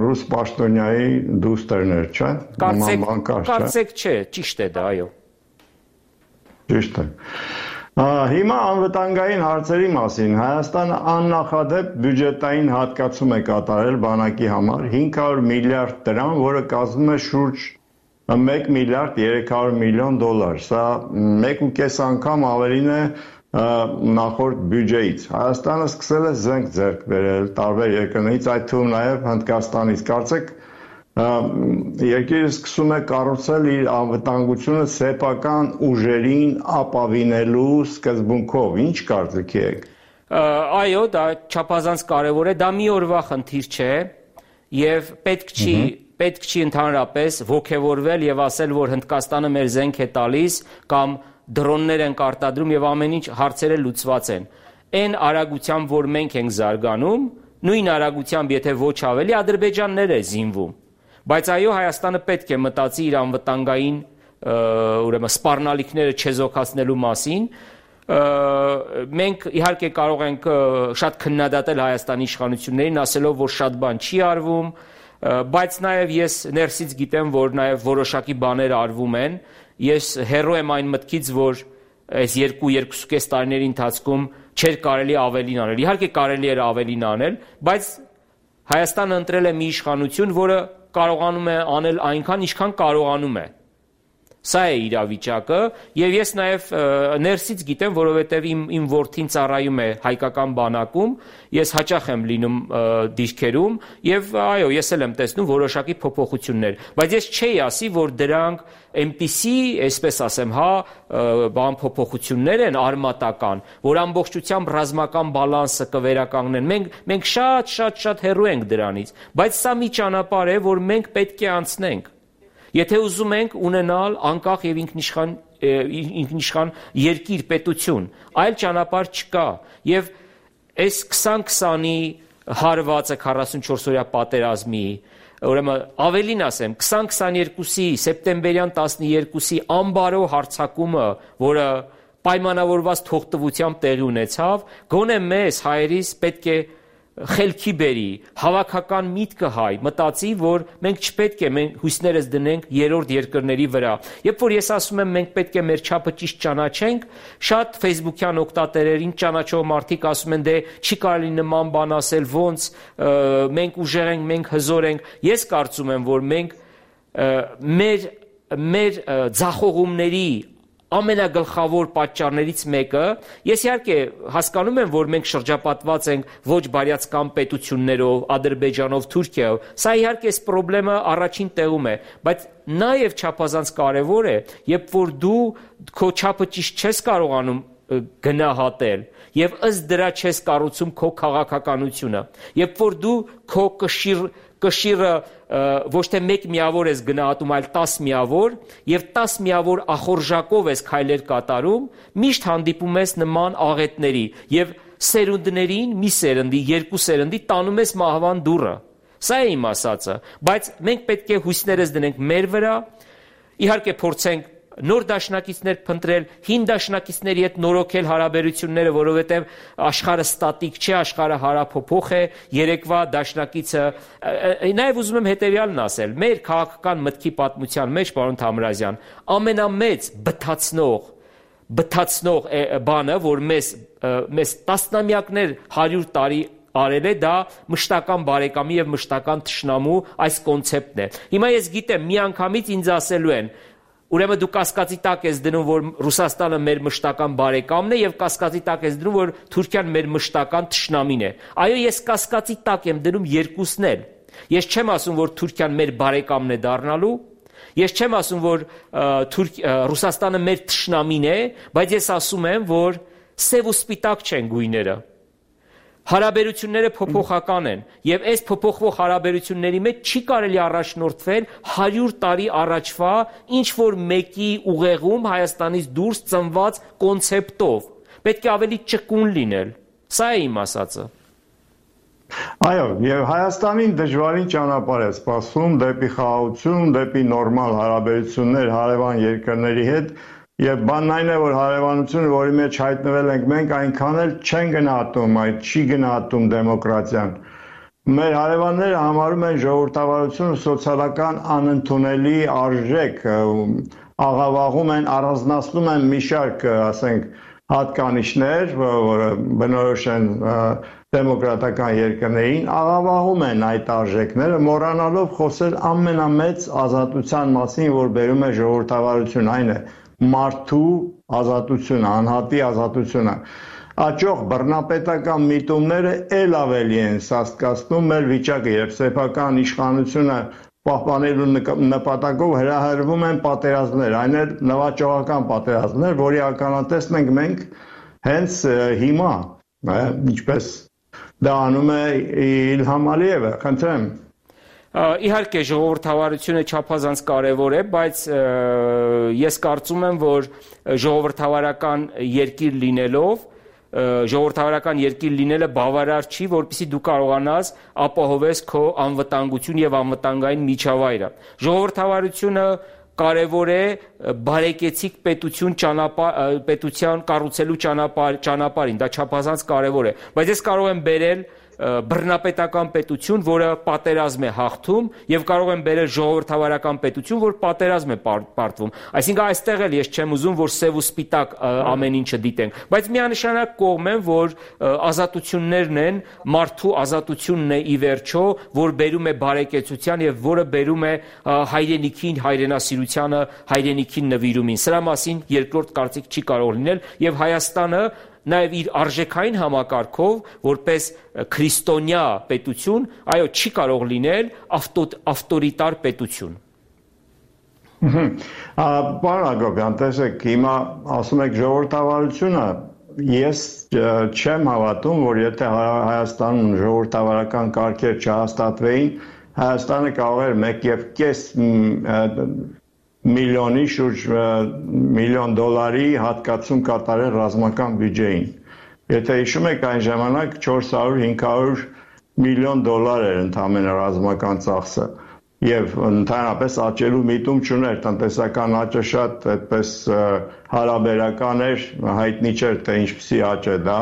ռուս պաշտոնյայի դուստրն էր, չէ՞։ Կարծեք, կարծեք չէ, ճիշտ է դա, այո։ Ճիշտ է։ Հիմա անվտանգային հարցերի մասին Հայաստանը աննախադեպ բյուջետային հատկացում է կատարել բանակի համար հինգ հարյուր միլիարդ դրամ, որը կազմում է շուրջ մեկ միլիարդ երեք հարյուր միլիոն դոլար։ Սա մեկ ու կես անգամ ավելին է նախորդ բյուջեից։ Հայաստանը սկսել է զենք ձեռք բերել տարբեր երկրներից, այդ թվում նաև Հնդկաստանից։ Կարծեք երկիրը սկսում է կառուցել իր անվտանգությունը սեփական ուժերին ապավինելու սկզբունքով։ Ինչ կարծիքի եք։ Այո, դա չափազանց կարևոր է, դա մի օրվա խնդիր չէ եւ պետք չի պետք չի ընդհանրապես ողջևորվել եւ ասել, որ Հնդկաստանը մեր զենք է տալիս կամ դրոններ են արտադրում եւ ամեն ինչ հարցերը լուծված են։ Այն արագությամբ, որ մենք ենք զարգանում, նույն արագությամբ, եթե ոչ ավելի, Ադրբեջաններ է զինվում։ Բայց այո, Հայաստանը պետք է մտածի իր անվտանգային ուրեմն սպառնալիքները չեզոքացնելու մասին, մենք իհարկե կարող ենք շատ քննադատել Հայաստանի իշխանություններին, ասելով, որ շատ բան չի արվում, բայց նաև ես ներսից գիտեմ, որ նաև որոշակի բաներ արվում են։ Ես հեռու եմ այն մտքից, որ այս երկու երկուսուկես տարիների ընթացքում չէր կարելի ավելին անել։ Իհարկե կարելի էր ավելին անել, բայց Հայաստանը ընտրել է մի իշխանություն, որը կարողանում է անել այնքան, ինչքան կարողանում է։ Սա է իրավիճակը, եւ ես նաև ներսից գիտեմ, որովհետեւ իմ իմ որդին ծառայում է հայկական բանակում, ես հաճախ եմ լինում դիրքերում եւ այո, ես էլ եմ տեսնում որոշակի փոփոխություններ, բայց ես չէի ասի, որ դրանք այնպիսի, այսպես ասեմ, հա, բան փոփոխություններ են արմատական, որ ամբողջությամբ ռազմական բալանսը կվերականգնեն։ Մենք մենք շատ շատ շատ հեռու ենք դրանից, բայց սա մի ճանապարհ է, որ մենք պետք է անցնենք։ Եթե ուզում ենք ունենալ անկախ եւ ինքնիշխան ինքնիշխան երկիր, պետություն, այլ ճանապարհ չկա։ Եւ այս քսան քսանի հարվածը քառասունչորս օրյա պատերազմի, ուրեմն ավելին ասեմ, քսան քսաներկուսի սեպտեմբերյան տասներկուսի անբարո հարձակումը, որը պայմանավորված թողտվությամբ տեղի ունեցավ, գոնե մեզ հայերիս պետք է խելքի բերի, հավաքական միտքը հայ, մտածի, որ մենք չպետք է մենք հույսներս դնենք երրորդ երկրների վրա։ Երբ որ ես ասում եմ մենք պետք է մեր չափը ճիշտ ճանաչենք, շատ ֆեյսբուքյան օգտատերերին ճանաչող մարդիկ ասում են դե չի կարելի նման բան ասել, ոնց մենք ուժեղ ենք, մենք հզոր ենք։ Ես կարծում եմ, որ մենք մեր մեր ձախողումների ամենագլխավոր պատճառներից մեկը, ես իհարկե հասկանում եմ, որ մենք շրջապատված ենք ոչ բարյացակամ պետություններով, Ադրբեջանով, Թուրքիայով, սա իհարկե այս խնդրը առաջին տեղում է, բայց նաև չափազանց կարևոր է, երբ որ դու քո չափը ճիշտ չես կարողանում գնահատել եւ ըստ դրա չես կառուցում քո քաղաքականությունը, երբ որ դու քո կշիռ կշիռը ոչ թե մեկ միավոր ես գնահատում, այլ տաս միավոր եւ տաս միավոր ախորժակով ես քայլեր կատարում, միշտ հանդիպում ես նման աղետների եւ սերունդներին, մի սերնդի, երկու սերնդի տանում ես մահվան դուռը։ Սա է իմ ասածը, բայց մենք պետք է հույսներս դնենք մեր վրա, իհարկե փորձենք նոր դաշնակիցներ փնտրել, հին դաշնակիցների հետ նորոգել հարաբերությունները, որովհետև աշխարհը ստատիկ չէ, աշխարհը հարափոփող է, երեկվա դաշնակիցը, նաև ուզում եմ հետևյալն ասել, մեր քաղաքական մտքի պատմության մեջ, պարոն Թամրազյան, ամենամեծ բթացնող, բթացնող բանը, որ մեզ մեզ տասնամյակներ, հարյուր տարի արել է, դա մշտական բարեկամի եւ մշտական թշնամու այս կոնցեպտն է։ Հիմա ես գիտեմ, միանգամից ինձ ասելու են, ուրեմն դու կասկածի տակ ես դնում, որ Ռուսաստանը մեր մշտական բարեկամն է եւ կասկածի տակ ես դնում, որ Թուրքիան մեր մշտական թշնամին է։ Այո, ես կասկածի տակ եմ դնում երկուսն էլ։ Ես չեմ ասում, որ Թուրքիան մեր բարեկամն է դառնալու, ես չեմ ասում, որ Ռուսաստանը մեր թշնամին է, բայց ես ասում եմ, որ սև ու սպիտակ չեն գույները։ Հարաբերությունները փոփոխական են եւ այս փոփոխվող հարաբերությունների մեջ չի կարելի առաջնորդվել հարյուր տարի առաջվա ինչ որ մեկի ուղեղում Հայաստանից դուրս ծնված կոնցեպտով։ Պետք է ավելի ճկուն լինել։ Սա է իմ ասածը։ Այո, եւ Հայաստանին դժվարին ճանապարհ է սպասում դեպի խաղաղություն, դեպի նորմալ հարաբերություններ հարևան երկրների հետ։ Եվ բանն այն է, որ հարևանությունը, որի մեջ հայտնվել ենք մենք, այնքան էլ չեն գնահատում, այդ չի գնահատում դեմոկրատիան։ Մեր հարևանները համարում են ժողովրդավարությունը սոցիալական անընդունելի արժեք, աղավաղում են, առանձնացնում են մի շարք, ասենք, հատկանիշներ, որը բնորոշ են դեմոկրատական երկրներին, աղավաղում են այդ արժեքները, մոռանալով խոսել ամենամեծ ազատության մասին, որ բերում է ժողովրդավարություն, այն է մարդու ազատությունը, անհատի ազատությունը։ Աճող բռնապետական միտումները ել ավելի են սաստկացնում մեր վիճակը, երբ սեփական իշխանությունը պահպանելու նպատակով հրահրվում են պատերազմներ, այն էլ նվաճողական պատերազմներ, որի ականատեսն ենք մենք հենց հիմա, ինչպես դա անում է Իլհամ Ալիևը, խնդրեմ։ Իհարկե ժողովրդավարությունը չափազանց կարևոր է, բայց ես կարծում եմ, որ ժողովրդավարական երկիր լինելով, ժողովրդավարական երկիր լինելը բավարար չի, որպեսզի դու կարողանաս ապահովես քո անվտանգություն եւ անվտանգային միջավայրը։ Ժողովրդավարությունը կարևոր է բարեկեցիկ պետություն ճանապարհ պետության կառուցելու ճանապարհ ճանապարհին, դա չափազանց կարևոր է, բայց ես կարող եմ բերել բռնապետական պետություն, որը պատերազմ է հաղթում, եւ կարող եմ բերել ժողովրդավարական պետություն, որ պատերազմ է պարտվում։ Այսինքն այստեղ էլ ես չեմ ուզում, որ սև ու սպիտակ ամեն ինչը դիտենք, բայց միանշանակ կողմ եմ, որ ազատություններն են, մարդու ազատությունն է ի վերջո, որ բերում է բարեկեցության եւ որը բերում է հայրենիքին, հայրենասիրությանը, հայրենիքին նվիրումին։ Սրա մասին երկրորդ կարծիք չի կարող լինել եւ Հայաստանը նաև իր արժեքային համակարգով, որպես քրիստոնյա պետություն, այո, չի կարող լինել ավտորիտար պետություն։ Պարոն Հակոբյան, տեսեք, հիմա ասում եք ժողովրդավարությունը, ես չեմ հավատում, որ եթե Հայաստանում ժողովրդավարական կարգեր չհաստատվեին, Հայաստանը կարող էր մեկ եւ կես միլիոնի շուրջ միլիոն դոլարի հատկացում կատարել ռազմական բյուջեին։ Եթե հիշում եք այն ժամանակ չորս հարյուր հինգ հարյուր միլիոն դոլար էր ընդամենը ռազմական ծախսը եւ ընդհանրապես աճելու միտում չուներ, տնտեսական աճը շատ այդպես հարաբերական էր, հայտնի չէր թե ինչպեսի աճ է դա։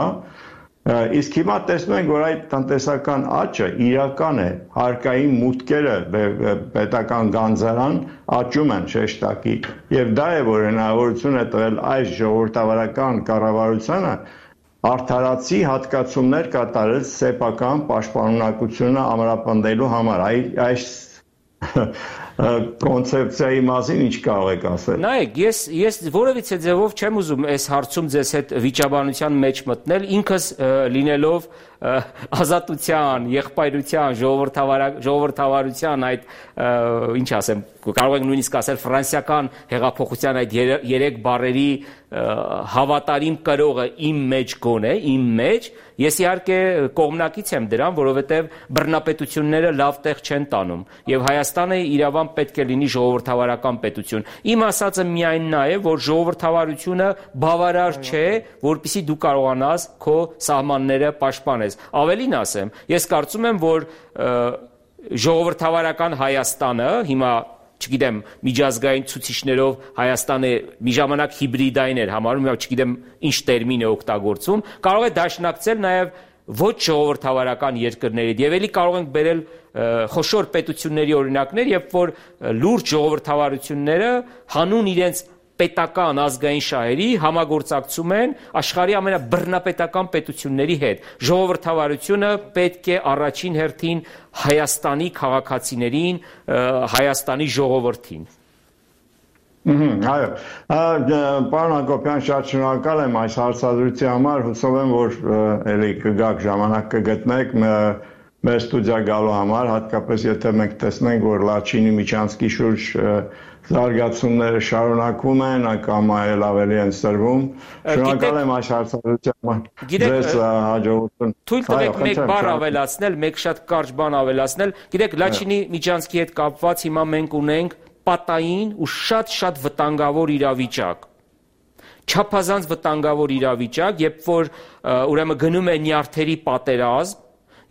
Իսկ հիմա տեսնում ենք, որ այդ տնտեսական աճը իրական է, հարկային մուտքերը պետական գանձարան աճում են շեշտակի եւ դա է, որ հնարավորություն է տվել այս ժողովրդավարական կառավարությանը արդարացի հատկացումներ կատարել սեփական պաշտպանունակությունը ամրապնդելու համար։ Այս կոնցեպցիայի մասին ինչ կարող եք ասել։ Նայեք, ես ես որևիցե ձևով չեմ ուզում այս հարցում ձեզ հետ վիճաբանության մեջ մտնել, ինքս լինելով ազատության, եղբայրության, ժողովրդավարության այդ ինչ ասեմ, կարող ենք նույնիսկ ասել ֆրանսիական հեղափոխության այդ երեք բառերի հավատարիմ կրողը իմ մեջ գոնե, իմ մեջ, ես իհարկե կողմնակից եմ դրան, որովհետև բռնապետությունները լավ տեղ չեն տանում եւ Հայաստանը իրավամբ պետք է լինի ժողովրդավարական պետություն։ Իմ ասածը միայն նա է, որ ժողովրդավարությունը բավարար չէ, որպեսզի դու կարողանաս քո սահմանները պաշտպանես։ Ավելին ասեմ, ես կարծում եմ, որ ժողովրդավարական Հայաստանը հիմա չգիտեմ, միջազգային ցուցիչներով Հայաստանը մի ժամանակ հիբրիդային էր համարում, հիմա չգիտեմ ինչ տերմին է օգտագործում, կարող է դաշնակցել նաև ոչ ժողովրդավարական երկրների, եւ էլի կարող ենք բերել խոշոր պետությունների օրինակներ, երբ որ լուրջ ժողովրդավարությունները հանուն իրենց պետական ազգային շահերի համագործակցում են աշխարհի ամենաբռնապետական պետությունների հետ։ Ժողովրդավարությունը պետք է առաջին հերթին Հայաստանի քաղաքացիներին, Հայաստանի ժողովրդին։ Այո, պարոն Հակոբյան, շատ շնորհակալ եմ այս հարցադրության համար, հուսով եմ, որ էլի կգաք ժամանակ կգտնեք մեր ստուդիա գալու համար, հատկապես եթե մենք տեսնենք, որ Լաչինի Միչանսկի շուրջ զարգացումները շարունակվում են, կամ այլ ավելի են սրվում։ Շնորհակալ եմ այս հարցադրության ձեզ հաջողություն։ Թույլ տվեք մեկ բառ ավելացնել, մեկ շատ կարճ բան ավելացնել։ Գիտեք, Լաչինի Միչանսկի հետ կապված հիմա մենք ունենք պատային ու շատ-շատ վտանգավոր իրավիճակ։ Չափազանց վտանգավոր իրավիճակ, երբ որ ուրեմն գնում է նյարդերի պատերազմ,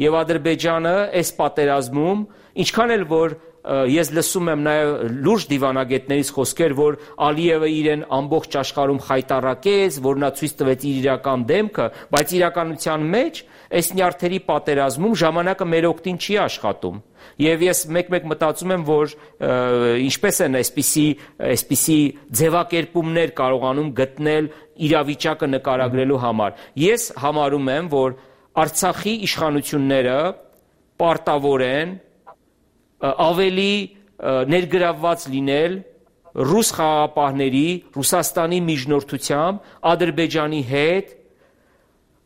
եւ Ադրբեջանը այս պատերազմում, ինչքան էլ որ ես լսում եմ նաև լուրջ դիվանագետներից խոսքեր, որ Ալիևը իրեն ամբողջ աշխարհում խայտառակեց, որ նա ցույց տվեց իր իրական դեմքը, բայց իրականության մեջ այս նյարդերի պատերազմում ժամանակը մեր օգտին չի աշխատում։ Եվ ես մեկ-մեկ մտածում եմ, որ ինչպես են այսպիսի այսպիսի ձևակերպումներ կարողանում գտնել իրավիճակը նկարագրելու համար։ Ես համարում եմ, որ Արցախի իշխանությունները պարտավոր են ավելի ներգրավված լինել ռուս խաղաղապահների, Ռուսաստանի միջնորդությամբ Ադրբեջանի հետ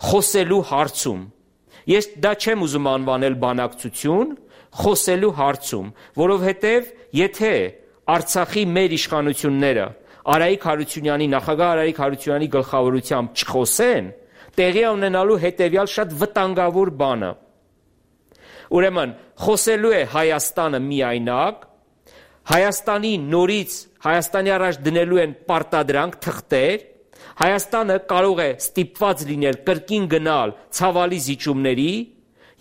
խոսելու հարցում։ Ես դա չեմ ուզում անվանել բանակցություն, խոսելու հարցում, որովհետև եթե Արցախի մեր իշխանությունները Արայիկ Հարությունյանի, նախագահ Արայիկ Հարությունյանի գլխավորությամբ չխոսեն, տեղի ունենալու հետևյալ շատ վտանգավոր բանը։ Ուրեմն խոսելու է Հայաստանը միայնակ, Հայաստանի նորից Հայաստանի առաջ դնելու են պարտադրանք, թղթեր, Հայաստանը կարող է ստիպված լինել կրկին գնալ ցավալի զիջումների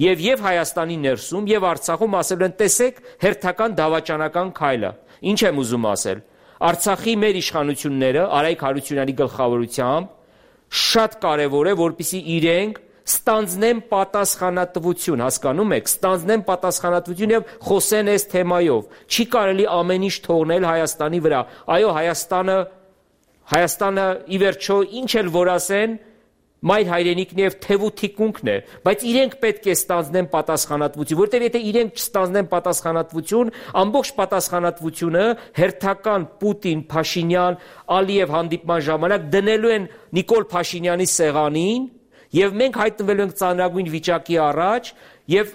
եւ եւ Հայաստանի ներսում եւ Արցախում ասել են տեսեք հերթական դավաճանական քայլը։ Ինչ եմ ուզում ասել։ Արցախի մեր իշխանությունները Արայք Հարությունյանի գլխավորությամբ շատ կարևոր է, որպեսզի իրենք ստանձնեն պատասխանատվություն, հասկանում եք, ստանձնեն պատասխանատվություն եւ խոսեն այս թեմայով։ Չի կարելի ամեն ինչ թողնել Հայաստանի վրա։ Այո, Հայաստանը Հայաստանը ի վերջո ինչ էլ որ ասեն, մայր հայրենիքն եւ թևու թիկունքն է, բայց իրենք պետք է ստանձնեն պատասխանատվություն, որտեղ եթե իրենք չստանձնեն պատասխանատվություն, ամբողջ պատասխանատվությունը հերթական Պուտին, Փաշինյան, Ալիև հանդիպման ժամանակ դնելու են Նիկոլ Փաշինյանի սեղանին, եւ մենք հայտնվելու ենք ծանրագույն վիճակի առաջ, եւ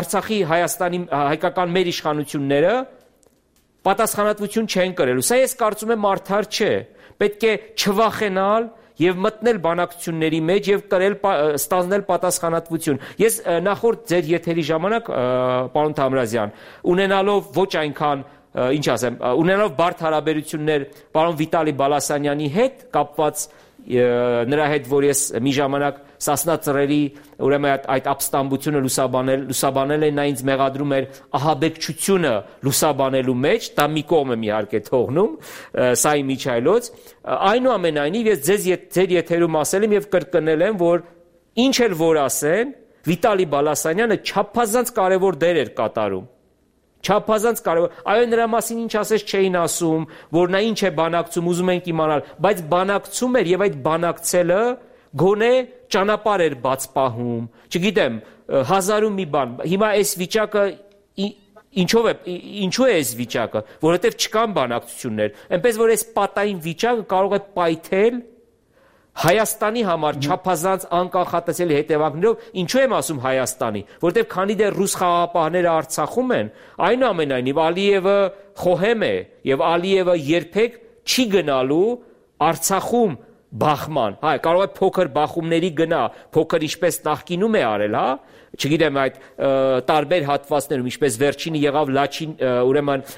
Արցախի Հայաստանի հայկական մեր իշխանությունները պատասխանատվություն չեն կրելու։ Սա ես կարծում եմ արդար չէ։ Պետք է չվախենալ եւ մտնել բանակցությունների մեջ եւ կրել ստանձնել պատասխանատվություն։ Ես նախորդ ձեր եթերի ժամանակ, պարոն Թամրազյան, ունենալով ոչ այնքան, ինչ ասեմ, ունենալով բարդ հարաբերություններ պարոն Վիտալի Բալասանյանի հետ կապված նրա հետ, որ ես մի ժամանակ Սասնա ծռերի ուրեմն այդ, այդ ապստամբությունը լուսաբանել լուսաբանել են, նա ինձ մեղադրում էր ահաբեկչությունը լուսաբանելու մեջ, դա մի կողմ եմ իհարկե թողնում, սա իմ միջայլոց, այնուամենայնիվ ես ձեզ ձեր եթերում ասել եմ եւ կրկնել եմ, որ ինչ էլ որ ասեն, Վիտալի Բալասանյանը չափազանց կարևոր դեր էր կատարում։ Չափազանց կարևոր, այո, նրա մասին ինչ ասես չէին ասում, որ նա ինչ է բանակցում, ուզում ենք իմանալ, բայց բանակցում էր եւ այդ բանակցելը գոնե ճանապարհ էր բաց պահում, չգիտեմ, հազարում մի բան։ Հիմա այս վիճակը ինչով է, ինչու է այս վիճակը, որովհետեւ չկան բանակցություններ, այնպես որ այս պատային վիճակը կարող է պայթել Հայաստանի համար չափազանց անկախատեսելի հետևանքներով, ինչու եմ ասում Հայաստանի, որովհետև քանի դեռ ռուս խաղաղապահները Արցախում են, այնուամենայնիվ Ալիևը խոհեմ է եւ Ալիևը երբեք չի գնալու Արցախում բախման, հա, կարող է փոքր բախումների գնա, փոքր ինչպես նախկինում է արել, հա, չգիտեմ այդ տարբեր հատվածներում, ինչպես վերջինը եղավ Լաչին, ուրեմն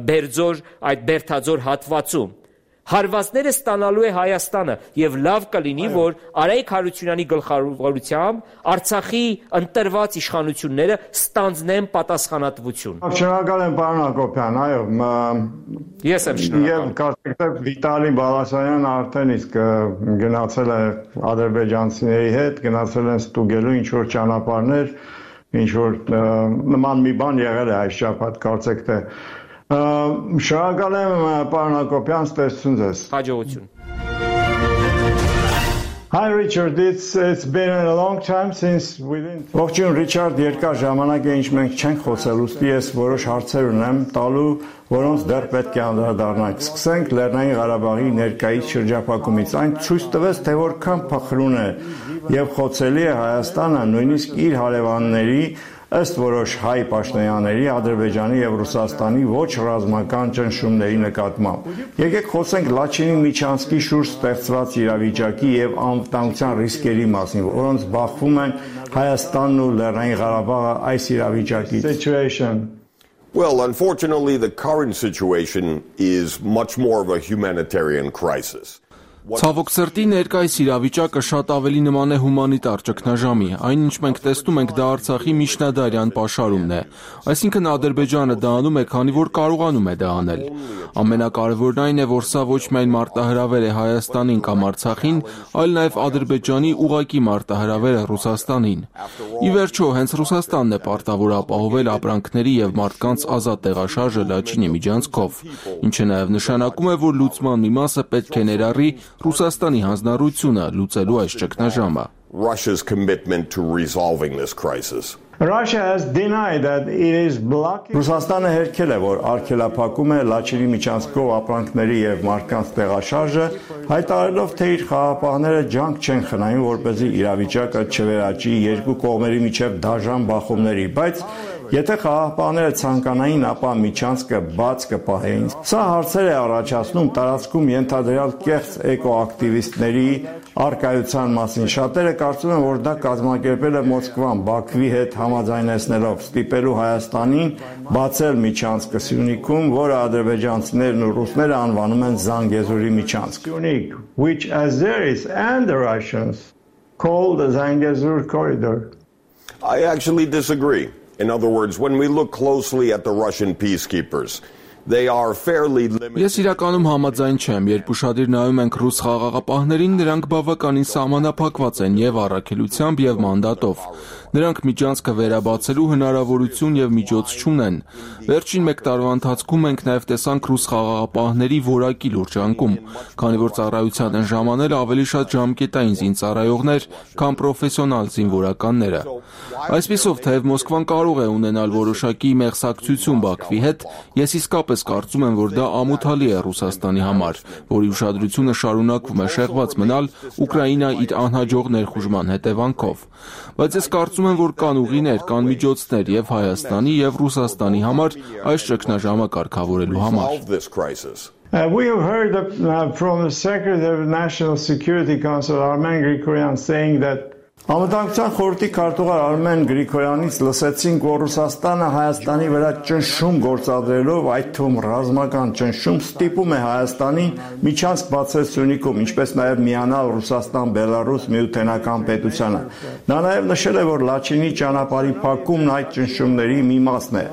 Բերձոր, այդ Բերթաձոր հատվածում Հարվածները ստանալու է Հայաստանը եւ լավ կլինի, որ Արայք Հարությունյանի գլխավորությամբ Արցախի ընտրված իշխանությունները ստանձնեն պատասխանատվություն։ Շնորհակալ եմ, պարոն Հակոբյան, այո, ես եմ շնորհակալ։ Եվ կարծեք Վիտալի Բալասանյանն արդեն իսկ գնացել է ադրբեջանցիների հետ, գնացել են ստուգելու ինչ որ ճանապարհներ, ինչ որ նման մի բան եղել է այս շաբաթ, կարծեք թե Շնորհակալ եմ, պարոն Հակոբյան, ստեսություն ձեզ։ Հաջողություն։ Hi Richard, it's it's been a long time since we didn't Ողջույն Ռիչարդ, երկար ժամանակ է ինչ մենք չենք խոսել, ուստի ես որոշ հարցեր ունեմ տալու, որոնց դեռ պետք է անդրադառնանք։ Սկսենք Լեռնային Ղարաբաղի ներկայից շրջափակումից։ Այն ցույց տվեց, թե որքան փխրուն է եւ խոցելի է Հայաստանը նույնիսկ իր հարևանների ըստ որոշ հայ պաշտոնյաների Ադրբեջանի եւ Ռուսաստանի ոչ ռազմական ճնշումների նկատմամբ։ Եկեք խոսենք Լաչինի Միչանսկի շուրջ ստեղծված իրավիճակի եւ անվտանգության ռիսկերի մասին, որոնց բախվում են Հայաստանն ու Լեռնային Ղարաբաղը այս իրավիճակից։ Situation. Well, unfortunately, the current situation is much more of a humanitarian crisis. Ցավոք սրտի ներկայիս իրավիճակը շատ ավելի նման է հումանիտար ճգնաժամի, այն ինչ մենք տեսնում ենք դա Արցախի միջնադարյան պաշարումն է, այսինքն Ադրբեջանը դա անում է, քանի որ կարողանում է դա անել։ Ամենակարևորն այն է, որ սա ոչ միայն մարտահրավեր է Հայաստանին կամ Արցախին, այլ նաև Ադրբեջանի ուղղակի մարտահրավեր է Ռուսաստանին։ Ի վերջո, հենց Ռուսաստանն է պարտավոր ապահովել ապրանքների եւ մարդկանց ազատ տեղաշարժը Լաչինի միջանցքով, ինչը նաև նշանակում է, որ լուծման մի մասը պետք է ներառի Ռուսաստանի հանձնառությունը լուծելու այս ճգնաժամը։ Russia's commitment to resolving this crisis. Russia has denied that it is blocking Ռուսաստանը հերքել է, որ արգելափակում է Լաչինի միջանցքով ապրանքների եւ մարդկանց տեղաշարժը, հայտարարելով, թե իր խաղաղապահները ջանք չեն խնայում, որպեսզի իրավիճակը չվերաճի երկու կողմերի միջև դաժան բախումների, բայց եթե խաղաղապահները ցանկանային, ապա միջանցքը բաց կպահեին։ Սա հարցեր է առաջացնում տարածքում ենթադրյալ կեղծ էկոակտիվիստների արկայության մասին։ Շատերը կարծում են, որ դա կազմակերպել է Մոսկվան Բաքվի հետ համաձայնեցնելով ստիպելու Հայաստանին բացել միջանցքը Սյունիքում, որը ադրբեջանցիներն ու ռուսները անվանում են Զանգեզուրի միջանցք, which Azeris and the Russians call the Zangezur corridor. I actually disagree. In other words, when we look closely at the Russian peacekeepers, They are fairly limited. Ես իրականում համաձայն չեմ, երբ ուշադիր նայում ենք ռուս խաղաղապահներին, նրանք բավականին սահմանափակված են եւ առաքելությամբ եւ մանդատով։ Նրանք միջանցքը վերաբացելու հնարավորություն եւ միջոց չունեն։ Վերջին մեկ տարվա ընթացքում մենք նաեւ տեսանք ռուս խաղաղապահների որակի լուրջ անկում, քանի որ ծառայության են ժամանել ավելի շատ ժամկետային զինծառայողներ, քան պրոֆեսիոնալ զինվորականները։ Այսպիսով, թեև Մոսկվան կարող է ունենալ որոշակի մեղսակցություն Բաքվի հետ, ես իսկապես կարծում եմ, որ դա ամոթալի է Ռուսաստանի համար, որի ուշադրությունը շարունակվում է շեղված մնալ Ուկրաինա իր անհաջող ներխուժման հետևանքով։ Բայց ես կարծում եմ, որ կան ուղիներ, կան միջոցներ եւ Հայաստանի եւ Ռուսաստանի համար այս ճգնաժամը կարգավորելու համար։ Uh, we have heard uh, from the Secretary of National Security Council, Armen Grigoryan, saying that Անվտանգության խորհրդի քարտուղար Արմեն Գրիգորյանից լսեցինք, որ Ռուսաստանը Հայաստանի վրա ճնշում գործադրելով, այդ թվում ռազմական ճնշում, ստիպում է Հայաստանին միջանցք բացել Սյունիքում, ինչպես նաև միանալ Ռուսաստան-Բելարուս միութենական պետությանը։ Նա նաև նշել է, որ Լաչինի ճանապարհի փակումն այդ ճնշումների մի մասն է։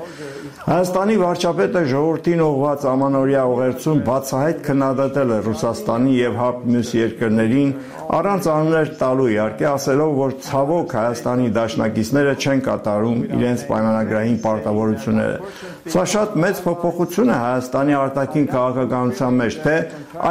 Հայաստանի վարչապետը ժողովրդին ուղղված ամանորյա ուղերձում բացահայտ քննադատել է Ռուսաստանի եւ ՀԱՊ մյուս երկրներին, առանց անուններ տալու իհարկե, ասելով, որ ցավոք Հայաստանի դաշնակիցները չեն կատարում իրենց պայմանագրային պարտավորությունները։ Սա շատ մեծ փոփոխություն է Հայաստանի արտաքին քաղաքականության մեջ, թե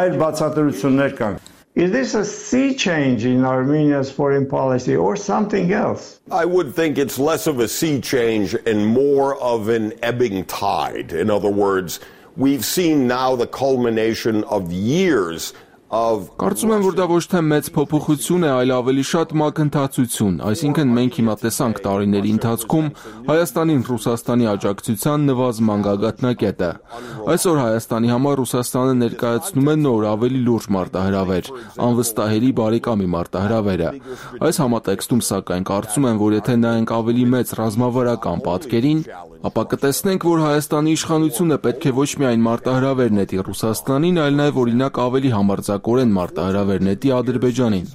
այլ բացատրություններ կան։ Is this a sea change in Armenia's foreign policy or something else? I would think it's less of a sea change and more of an ebbing tide. In other words, we've seen now the culmination of years of Կարծում եմ, որ դա ոչ թե մեծ փոփոխություն է, այլ ավելի շատ մակընթացություն, այսինքն մենք հիմա տեսանք տարիների ընթացքում Հայաստանին Ռուսաստանի աջակցության նվազման գագաթնակետը։ Այսօր Հայաստանի համար Ռուսաստանը ներկայացնում է նոր ավելի լուրջ մարտահրավեր, անվստահելի բարեկամի մարտահրավերը։ Այս համատեքստում սակայն կարծում եմ, որ եթե նայենք ավելի մեծ ռազմավարական պատկերին, ապա կտեսնենք, որ Հայաստանի իշխանությունը պետք է ոչ միայն մարտահրավեր նետի Ռուսաստանին, այլ նաև օրինակ ավելի համարձակորեն մարտահրավեր նետի Ադրբեջանին։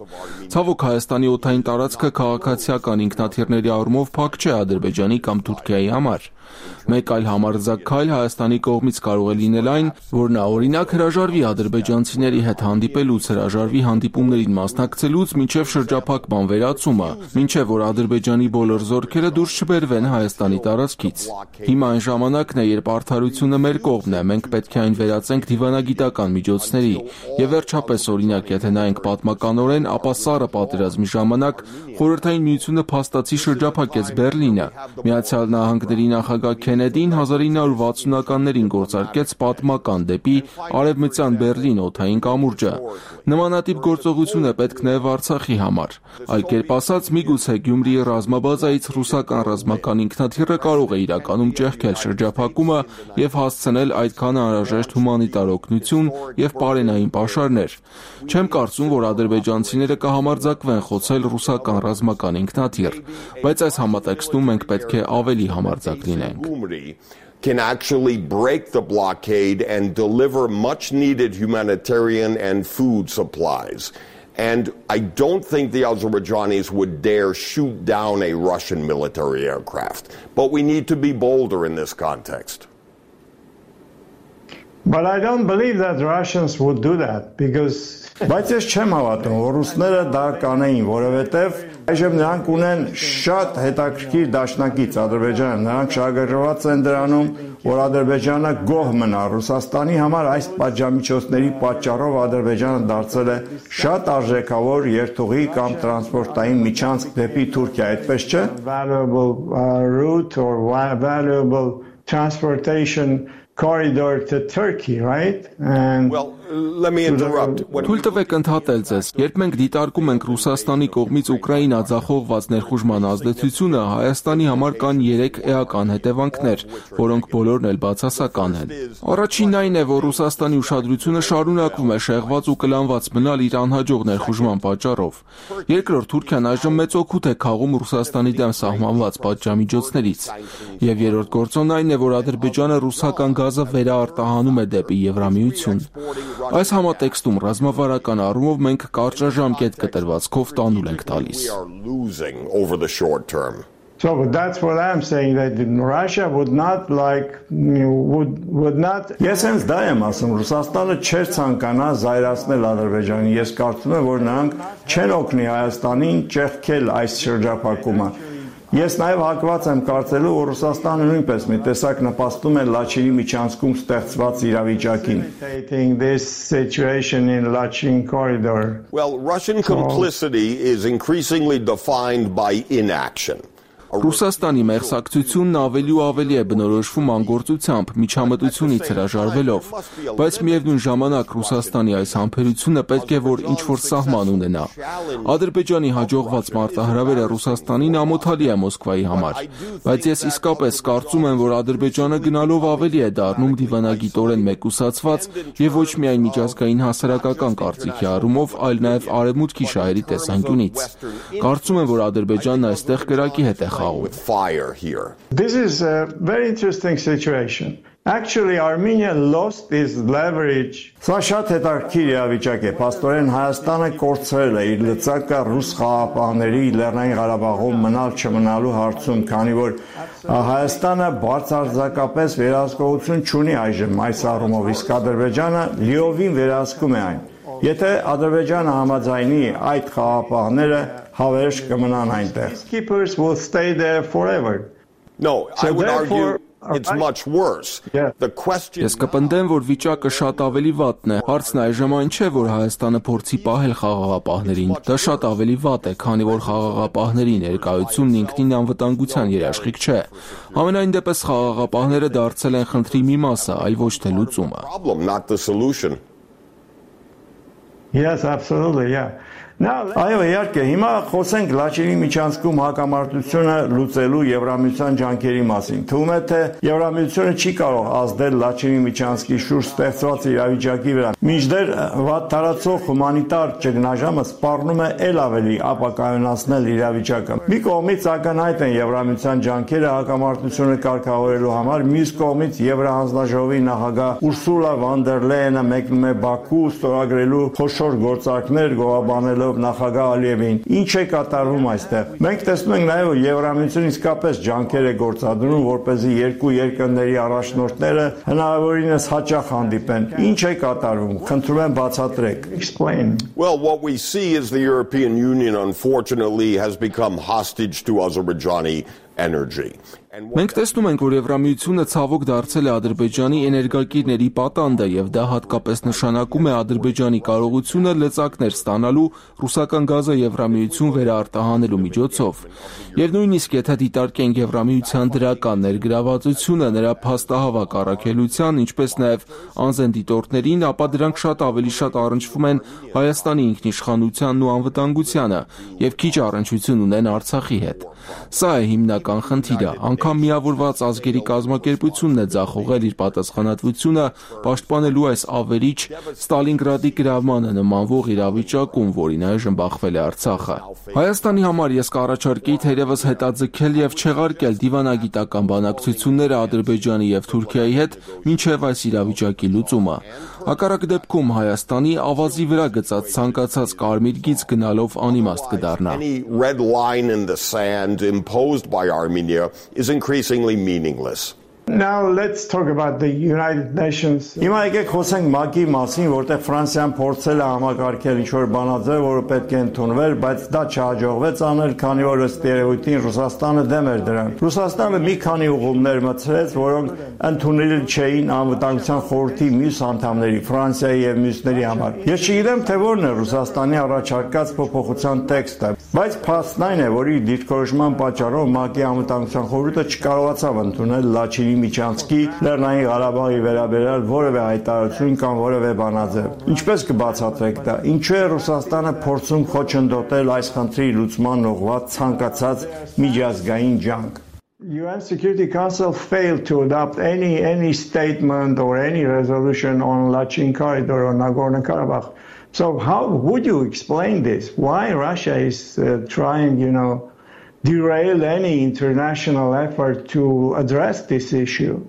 Ցավոք Հայաստանի օդային տարածքը քաղաքացիական ինքնաթիռների առումով փակ չէ Ադրբեջանի կամ Թուրքիայի համար։ Մեկ այլ համարձակ քայլ Հայաստանի կողմից կարող է լինել այն, որ նա օրինակ հրաժարվի ադրբեջանցիների հետ հանդիպելուց, հրաժարվի հանդիպումներին մասնակցելուց մինչև շրջափակման վերացումը, մինչև որ Ադրբեջանի բոլոր զորքերը դուրս չբերվեն Հայաստանի տարածքից։ Հիմա այն ժամանակն է, երբ արդարությունը մեր կողմն է, մենք պետք է այն վերածենք դիվանագիտական միջոցների։ Եվ վերջապես օրինակ, եթե նայենք պատմականորեն, ապա սառը պատերազմի ժամանակ Խորհրդային Միությունը փաստացի շրջափակեց Բերլինը։ Միացյալ Նահանգների նախագահ Քենեդին հազար ինը հարյուր վաթսունականներին գործարկեց պատմական դեպի Արևմտյան Բերլին օդային կամուրջը։ Նմանատիպ գործողություն է պետք նաև Արցախի համար։ Այլ կերպ ասած, միգուցե Գյումրիի ռազմաբազայից ռուսական ռազմական ինքնաթիռը կարող է իրականում ճեղքել շրջափակումը եւ հասցնել այդքան անհրաժեշտ հումանիտար օգնություն եւ պարենային պաշարներ։ Չեմ կարծում, որ ադրբեջանցիները կհամարձակվեն խոցել ռուսական ռազմական ինքնաթիռ, բայց այս համատեքստում մենք պետք է ավելի համարձակ լինենք։ Can actually break the blockade and deliver much needed humanitarian and food supplies. And I don't think the Azerbaijanis would dare shoot down a Russian military aircraft. But we need to be bolder in this context. But I don't believe that Russians would do that because Բայց ես չեմ հավատում, որ ռուսները դա կանեին, որովհետև այժմ նրանք ունեն շատ հետաքրքիր դաշնակից Ադրբեջանը, նրանք շահագրգռված են դրանում, որ Ադրբեջանը գոհ մնա Ռուսաստանի համար այս պատժամիջոցների պատճառով Ադրբեջանը դարձել է շատ արժեքավոր երթուղի կամ տրանսպորտային միջանցք դեպի Թուրքիա, այդպես չէ? Valuable route or valuable transportation corridor to Turkey, right? And well, let me interrupt. Թույլ տվեք ընդհատել ձեզ, երբ մենք դիտարկում ենք Ռուսաստանի կողմից Ուկրաինա ձախողված ներխուժման ազդեցությունը, Հայաստանի համար կան երեք էական հետևանքներ, որոնք բոլորն էլ բացասական են։ Առաջինն այն է, որ Ռուսաստանի ուշադրությունը շարունակվում է շեղված ու կլանված մնալ իր անհաջող ներխուժման պատճառով։ Երկրորդ, Թուրքիան այժմ մեծ օգուտ է քաղում Ռուսաստանի դեմ սահմանված պատժամիջոցներից։ Եվ երրորդ գործոնն այն է, որ Ադրբեջանը ռուսական գազը վերաարտահանում է դեպի Եվրամիություն։ Այս համատեքստում ռազմավարական առումով մենք կարճաժամկետ կտրվածքով տանուլ ենք տալիս։ So that's what I'm saying, that Russia would not like would would not. Ես հենց դա եմ ասում, Ռուսաստանը չէր ցանկանա զայրացնել Ադրբեջանին։ Ես կարծում եմ, որ նրանք չեն օգնի Հայաստանին ճեղքել այս շրջափակումը։ Ես նաև հակված եմ կարծելու, որ Ռուսաստանը նույնպես մի տեսակ նպաստում է Լաչինի միջանցքում ստեղծված իրավիճակին։ This situation in Lachin corridor. Well, Russian complicity is increasingly defined by inaction. Ռուսաստանի մեղսակցությունն ավելի ու ավելի է բնորոշվում անգործությամբ, միջամտությունից հրաժարվելով, բայց միևնույն ժամանակ Ռուսաստանի այս համբերությունը պետք է որ ինչ-որ սահման ունենա։ Ադրբեջանի հաջողված մարտահրավերը Ռուսաստանին ամոթալի է Մոսկվայի համար, բայց ես իսկապես կարծում եմ, որ Ադրբեջանը գնալով ավելի է դառնում դիվանագիտորեն մեկուսացված եւ ոչ միայն միջազգային հասարակական կարծիքի առումով, այլ նաեւ արևմուտքի շահերի տեսանկյունից։ Կարծում եմ, որ Ադրբեջանն այստեղ կրակի հետ է with fire here. This is a very interesting situation. Actually, Armenia lost its leverage. Սա շատ հետաքրքիր իրավիճակ է։ Փաստորեն Հայաստանը կորցրել է իր լծակը ռուս խաղաղապահների Լեռնային Ղարաբաղում մնալ չմնալու հարցում, քանի որ Հայաստանը բարձրարձակապես վերահսկողություն չունի այժմ այս առումով, իսկ Ադրբեջանը լիովին վերահսկում է այն։ Եթե Ադրբեջանը համաձայնի այդ խաղաղապահները հավերժ կմնան այնտեղ. Peacekeepers will stay there forever. No, I would argue it's much worse. The question Ես կպնդեմ, որ վիճակը շատ ավելի վատն է։ Հարցն այժմ այն չէ, որ Հայաստանը փորձի պահել խաղաղապահներին։ Դա շատ ավելի վատ է, քանի որ խաղաղապահների ներկայությունն ինքնին անվտանգության երաշխիք չէ։ Համենայն դեպս խաղաղապահները դարձել են խնդրի մի մասը, այլ ոչ թե լուծումը։ problem, not the solution. Yes, absolutely, yeah. Այո, իհարկե, հիմա խոսենք Լաչինի միջանցքում հակամարտությունը լուծելու Եվրամիության ջանքերի մասին։ Թվում է, թե Եվրամիությունը չի կարող ազդել Լաչինի միջանցքի շուրջ ստեղծված իրավիճակի վրա։ Մինչդեռ վատ տարածող հումանիտար ճգնաժամը սպառնում է ել ավելի ապակայունացնել իրավիճակը։ Մի կողմից ակնհայտ են Եվրամիության ջանքերը հակամարտությունը կարգավորելու համար, մյուս կողմից Եվրահանձնաժողովի նախագահ Ուրսուլա վան դեր Լեյենը մեկնում է Բաքու ստորագրելու խոշոր գործարքներ գովաբանելով նախագահ Ալիևին։ Ինչ է կատարվում այստեղ։ Մենք տեսնում ենք նաև, որ Եվրամիությունը իսկապես ջանքեր է գործադրում, որպեսզի երկու երկրների առաջնորդները հնարավորինս հաճախ հանդիպեն։ Ինչ է կատարվում։ Խնդրում եմ բացատրեք։ Explain. Well, what we see is the European Union unfortunately has become hostage to Azerbaijani energy. Մենք տեսնում ենք, որ Եվրամիությունը ցավոք դարձել է Ադրբեջանի էներգակիրների պատանդը եւ դա հատկապես նշանակում է Ադրբեջանի կարողությունը լծակներ ստանալու ռուսական գազը Եվրամիություն վերարտահանելու միջոցով։ Եվ նույնիսկ եթե դիտարկենք Եվրամիության դրական ներգրավվածությունը նրա փաստահավաք առաքելության, ինչպես նաեւ անզեն դիտորդներին, ապա դրանք շատ ավելի շատ առնչվում են Հայաստանի ինքնիշխանությանն ու անվտանգությանը եւ քիչ առնչություն ունեն Արցախի հետ։ Սա է հիմնական խնդիրը։ Անգամ միավորված ազգերի կազմակերպությունն է ձախողել իր պատասխանատվությունը պաշտպանելու այս ավերիչ Ստալինգրադի գրավմանը նմանվող իրավիճակում, որին այժմ բախվել է Արցախը։ Հայաստանի համար ես կառաջարկեի թերևս հետաձգել եւ չեղարկել դիվանագիտական բանակցությունները Ադրբեջանի եւ Թուրքիայի հետ մինչեւ այս իրավիճակի լուծումը։ Հակառակ դեպքում Հայաստանի ավազի վրա գծած ցանկացած կարմիր գիծ գնալով անիմաստ կդառնա։ Any red line in the sand imposed by Armenia is increasingly meaningless. Now let's talk about the United Nations. Հիմա եկեք խոսենք ՄԱԿ-ի մասին, որտեղ Ֆրանսիան փորձել է համակարգել ինչ-որ բանաձև, որը պետք է ընդունվեր, բայց դա չհաջողվեց անել, քանի որ ըստ երևույթին Ռուսաստանը դեմ էր դրան։ Ռուսաստանը մի քանի ուղումներ մտցրեց, որոնք ընդունելի չէին անվտանգության խորհրդի մյուս անդամների, Ֆրանսիայի եւ մյուսների համար։ Ես չգիտեմ, թե որն է Ռուսաստանի առաջարկած փոփոխության տեքստը, բայց փաստն այն է, որ իր դիրքորոշման պատճառով ՄԱԿ-ի անվտանգության խորհուրդը չկարողացավ ընդունել Լաչինի միջանցքի Լեռնային Ղարաբաղի վերաբերյալ որևէ հայտարարություն կամ որևէ բանաձև։ Ինչպես կբացատրեք դա։ Ինչու է Ռուսաստանը փորձում խոչընդոտել այս խնդրի լուծման ուղղված ցանկացած միջազգային ջանք։ U N Security Council failed to adopt any any statement or any resolution on Lachin Corridor or Nagorno-Karabakh. So how would you explain this? Why Russia is uh, trying, you know, derail any international effort to address this issue?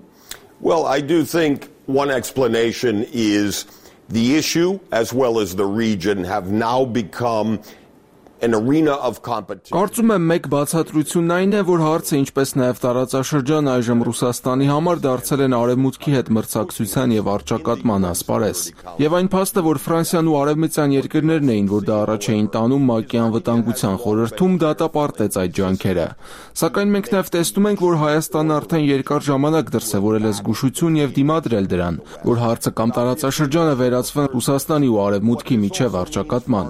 Well, I do think one explanation is the issue, as well as the region, have now become an arena of competition. Կարծում եմ մեկ բացատրությունն այն է, որ հարցը ինչպես նաև տարածաշրջան այժմ Ռուսաստանի համար դարձել են արևմուտքի հետ մրցակցության եւ առճակատման ասպարեզ։ Եվ այն փաստը, որ Ֆրանսիան ու արևմտյան երկրներն էին, որ դա առաջ էին տանում ՄԱԿ-ի անվտանգության խորհրդում, դատապարտեց այդ ջանքերը։ Սակայն մենք նաև տեսնում ենք, որ Հայաստանը արդեն երկար ժամանակ դրսևորել է զգուշություն եւ դիմադրել դրան, որ հարցը կամ տարածաշրջանը վերածվեն Ռուսաստանի ու արևմուտքի միջև առճակատման։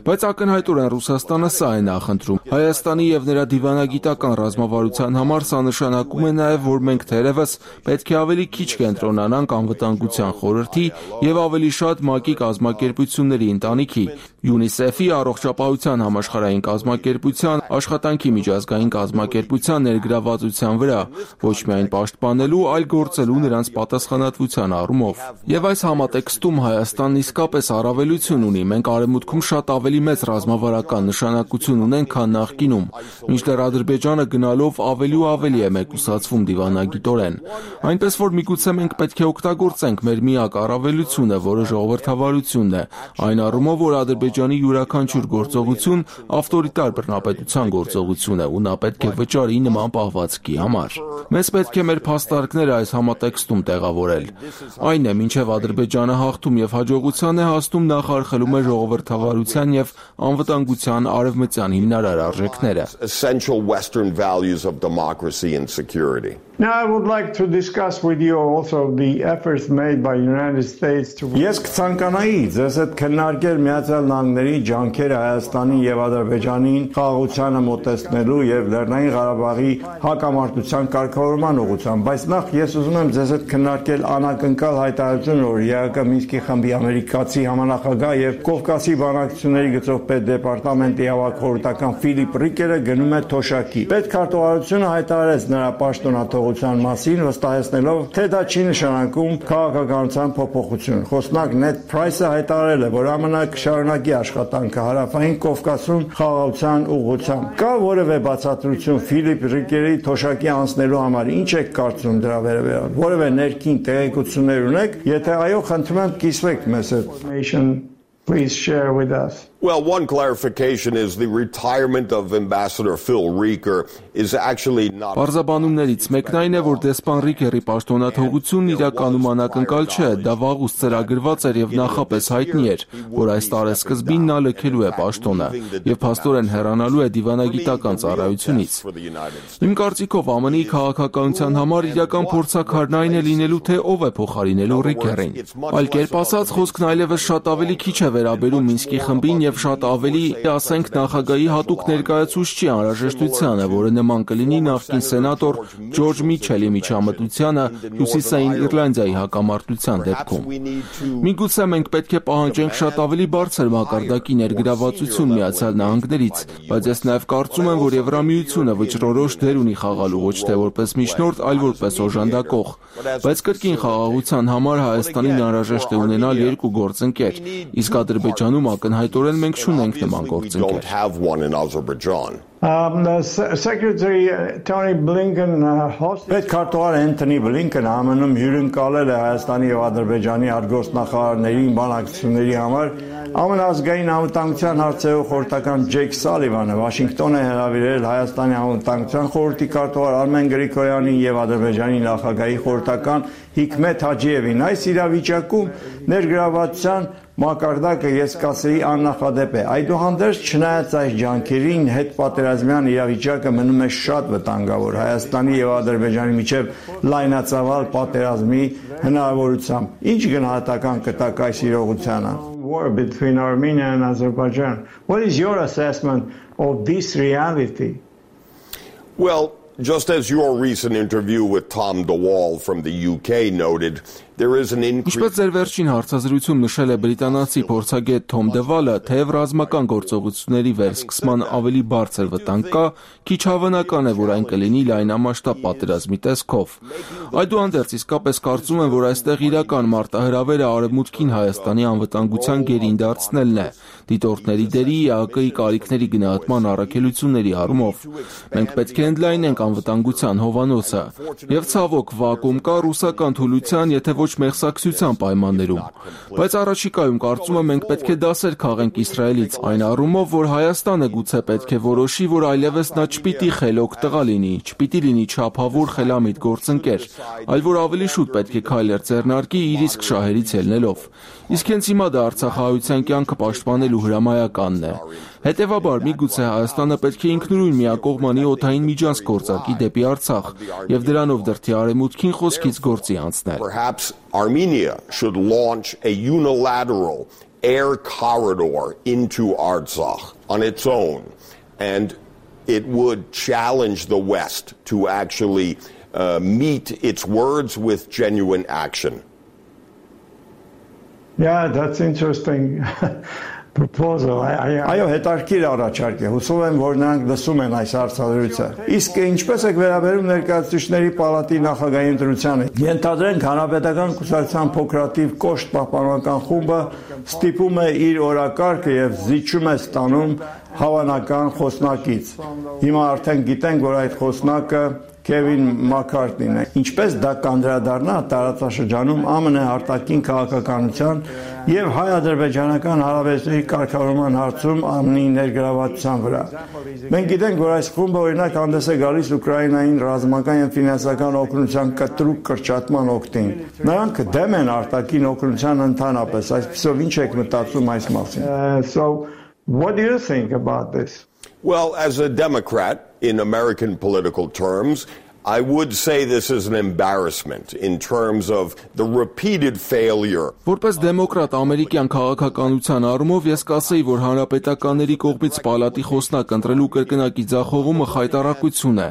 Բայց ակնհայտորեն Ռուսաստանը սա է նախընտրում։ Հայաստանի եւ նրա դիվանագիտական ռազմավարության համար սա նշանակում է նաեւ, որ մենք թերևս պետք է ավելի քիչ կենտրոնանանք անվտանգության խորհրդի եւ ավելի շատ ՄԱԿ-ի կազմակերպությունների ընտանիքի, ՅՈՒՆԻՍԵՖ-ի, առողջապահության համաշխարհային կազմակերպության, աշխատանքի միջազգային կազմակերպության ներգրավվածության վրա, ոչ միայն պաշտպանելու, այլ գործելու նրանց պատասխանատվության առումով։ Եվ այս համատեքստում Հայաստանն իսկապես առավելություն ունի։ Մենք արևմուտքում շատ ավելի մեծ ռազմավարական նշանակություն ունենք, քան նախկինում, մինչդեռ Ադրբեջանը գնալով ավելի ու ավելի է մեկուսացվում դիվանագիտորեն։ Այնպես որ միգուցե մենք պետք է օգտագործենք մեր միակ առավելությունը, որը ժողովրդավարությունն է, այն առումով, որ Ադրբեջանի յուրաքանչյուր գործողություն ավտորիտար բռնապետության գործողություն է ու նա պետք է վճարի նման պահվածքի համար։ Մեզ պետք է մեր փաստարկները այս համատեքստում տեղավորել։ Այն է, մինչև Ադրբեջանը հաղթում եւ հաջողության է հասնում, նախարխելում է ժողովրդավարության եւ անվտանգության արևմտյան հիմնարար արժեքները։ Essential Western values of democracy and security. Now I would like to discuss with you also the efforts made by United States to Ես կցանկանայի ձեզ հետ քննարկել Միացյալ Նահանգների ջանքերը Հայաստանի եւ Ադրբեջանին խաղաղությանը մոտեցնելու եւ Լեռնային Ղարաբաղի հակամարտության կարգավորման ուղղությամբ, բայց նախ ես ուզում եմ ձեզ հետ քննարկել անակնկալ հայտարարությունը, որ ԵԱՀԿ Մինսկի խմբի ամերիկացի համանախագահ եւ Կովկասի բանակցությունների գծով պետդեպարտամենտի հավաքորդական Ֆիլիպ Ռիկերը գնում է թոշակի։ Պետքարտուղարությունը հայտարարեց նրա պաշտոնաթող մասին վստահեցնելով, թե դա չի նշանակում քաղաքականության փոփոխություն։ Խոսնակ Նեդ Փրայսը հայտարարել է, որ ԱՄՆ կշարունակի աշխատանքը հարավային Կովկասում խաղաղության ուղղությամբ։ Կա որևէ բացատրություն Ֆիլիպ Ռիկերի թոշակի անցնելու համար, ինչ եք կարծում դրա վերաբերյալ։ Որևէ ներքին տեղեկություններ ունեք, եթե այո, խնդրում եմ կիսվեք մեզ հետ։ Please share with us. Well, one clarification is the retirement of Ambassador Phil Rieker is actually not. Պարզաբանումներից մեկն այն է, որ դեսպան Ռիկերի պաշտոնաթողությունն իրականում անակնկալ չէ, դա վաղուց ծրագրված էր եւ նախապես հայտնի էր, որ այս տարեսկզբին նա լքելու է պաշտոնը եւ փաստորեն հեռանալու է դիվանագիտական ծառայությունից։ Իմ կարծիքով ԱՄՆ-ի քաղաքականության համար իրական փորձաքարն այն է լինելու, թե ով է փոխարինելու Ռիկերին։ Այլ կերպ ասած, խոսքն այլևս շատ ավելի քիչ է վերաբերում Մինսկի խմբին եւ շատ ավելի, ասենք, նախագահի հատուկ ներկայացուցչի անհրաժեշտությանը, որը նման կլինի նախկին սենատոր Ջորջ Միչելի միջամտությանը Հյուսիսային Իռլանդիայի հակամարտության դեպքում։ Միգուցե մենք պետք է պահանջենք շատ ավելի բարձր մակարդակի ներգրավվածություն Միացյալ Նահանգներից, բայց ես նաեւ կարծում եմ, որ Եվրամիությունը վճռորոշ դեր ունի խաղալու ոչ թե որպես միջնորդ, այլ որպես օժանդակող։ Բայց կրկին խաղաղության համար Հայաստանին անհրաժեշտ է ունենալ երկու գործընկեր, իսկ Ադրբեջանում ակնհայտորեն մենք չունենք նման գործընկեր։ Um, the Secretary uh, Tony Blinken uh, hosted Պետքարտուղար Anthony Blinken ԱՄՆ-ում հյուրընկալել է Հայաստանի եւ Ադրբեջանի արտգործնախարարներին բանակցությունների համար ԱՄՆ ազգային անվտանգության հարցերով խորհրդական Ջեյք Սալիվանը Վաշինգտոն է հրավիրել Հայաստանի անվտանգության խորհրդի քարտուղար Արմեն Գրիգորյանին եւ Ադրբեջանի նախագահի խորհրդական Հիկմետ Հաջիևին։ Այս իրավիճակում ներգրավվածության մակարդակը ես կասեի աննախադեպ է։ Այդուհանդերձ չնայած այս ջանքերին հետպատերազմյան իրավիճակը մնում է շատ վտանգավոր Հայաստանի եւ Ադրբեջանի միջև լայնածավալ պատերազմի հնարավորությամբ։ Ինչ գնահատական կտակ այս իրողությանը? War between Armenia and Azerbaijan. What is your assessment of this reality? Well, just as your recent interview with Tom DeWall from the U K noted, there is an increase. Ինչպես ձեր վերջին հարցազրույցում նշել է բրիտանացի փորձագետ Թոմ Դեվալը, թեև ռազմական գործողությունների վերսկսման ավելի բարձր վտանգ կա, քիչ հավանական է, որ այն կլինի լայնամասշտաբ պատերազմի տեսքով։ Այդուհանդերձ իսկապես կարծում եմ, որ այստեղ իրական մարտահրավերը Արևմուտքին Հայաստանի անվտանգության գերին դարձնելն է, դիտորդների դերի, ԵԱՀԿ-ի կարիքների գնահատման առաքելությունների առումով։ Մենք պետք է ընդլայնենք անվտանգության հովանոցը։ Եվ ցավոք վակուում կա ռուսական թուլության, եթե ոչ մեղսակցության պայմաններում։ Բայց առաջիկայում կարծում եմ մենք պետք է դասեր քաղենք Իսրայելից այն առումով, որ Հայաստանը գուցե պետք է որոշի, որ այլևս նա չպիտի խելոք տղա լինի, չպիտի լինի չափավոր խելամիտ գործընկեր, այլ որ ավելի շուտ պետք է քայլեր ձեռնարկի իր իսկ շահերից ելնելով։ Իսկ հենց հիմա դա արցախահայության կյանքը պաշտպանելու հրամայականն է։ Հետևաբար միգուցե Հայաստանը պետք է ինքնուրույն միակողմանի օդային միջանցք գործարկի դեպի Արցախ եւ դրանով դրդի արևմուտքին խոսքից գործի անցնել։ Perhaps Armenia should launch a unilateral air corridor into Artsakh on its own, and it would challenge the West to actually uh, meet its words with genuine action. Yeah, that's interesting proposal. Այո, հետաքրքիր առաջարկ է։ Հուսով եմ, որ նրանք լսում են այս հարցադրույթը։ Իսկ ինչպես եք վերաբերում ներկայացուցիչների պալատի նախագահի ընտրությանը։ Ենթադրենք հանրապետական կուսակցության փոքրատիվ կոշտ պահպանական խումբը ստիպում է իր օրակարգը եւ զիջում է ստանում հավանական խոսնակից։ Հիմա արդեն գիտենք, որ այդ խոսնակը Քևին Մաքքարթնին է։ Ինչպես դա կանդրադառնա տարածաշրջանում ԱՄՆ արտաքին քաղաքականության եւ հայ-ադրբեջանական հարաբերությունների կարգավորման հարցում ԱՄՆ-ի ներգրավվածության վրա։ Մենք գիտենք, որ այս խումբը օրինակ հանդես է գալիս Ուկրաինային ռազմական եւ ֆինանսական օգնության կտրուկ կրճատման օգտին։ Նրանք դեմ են արտաքին օգնության ընդհանրապես, այսպեսով ինչ եք մտածում այս մասին։ So what do you think about this? Well, as a Democrat, in American political terms, I would say this is an embarrassment in terms of the repeated failure. Որպես դեմոկրատ ամերիկյան քաղաքականության առումով ես կասեի, որ հանրապետականների կողմից պալատի խոսնակ ընտրելու կրկնակի ձախողումը խայտառակություն է։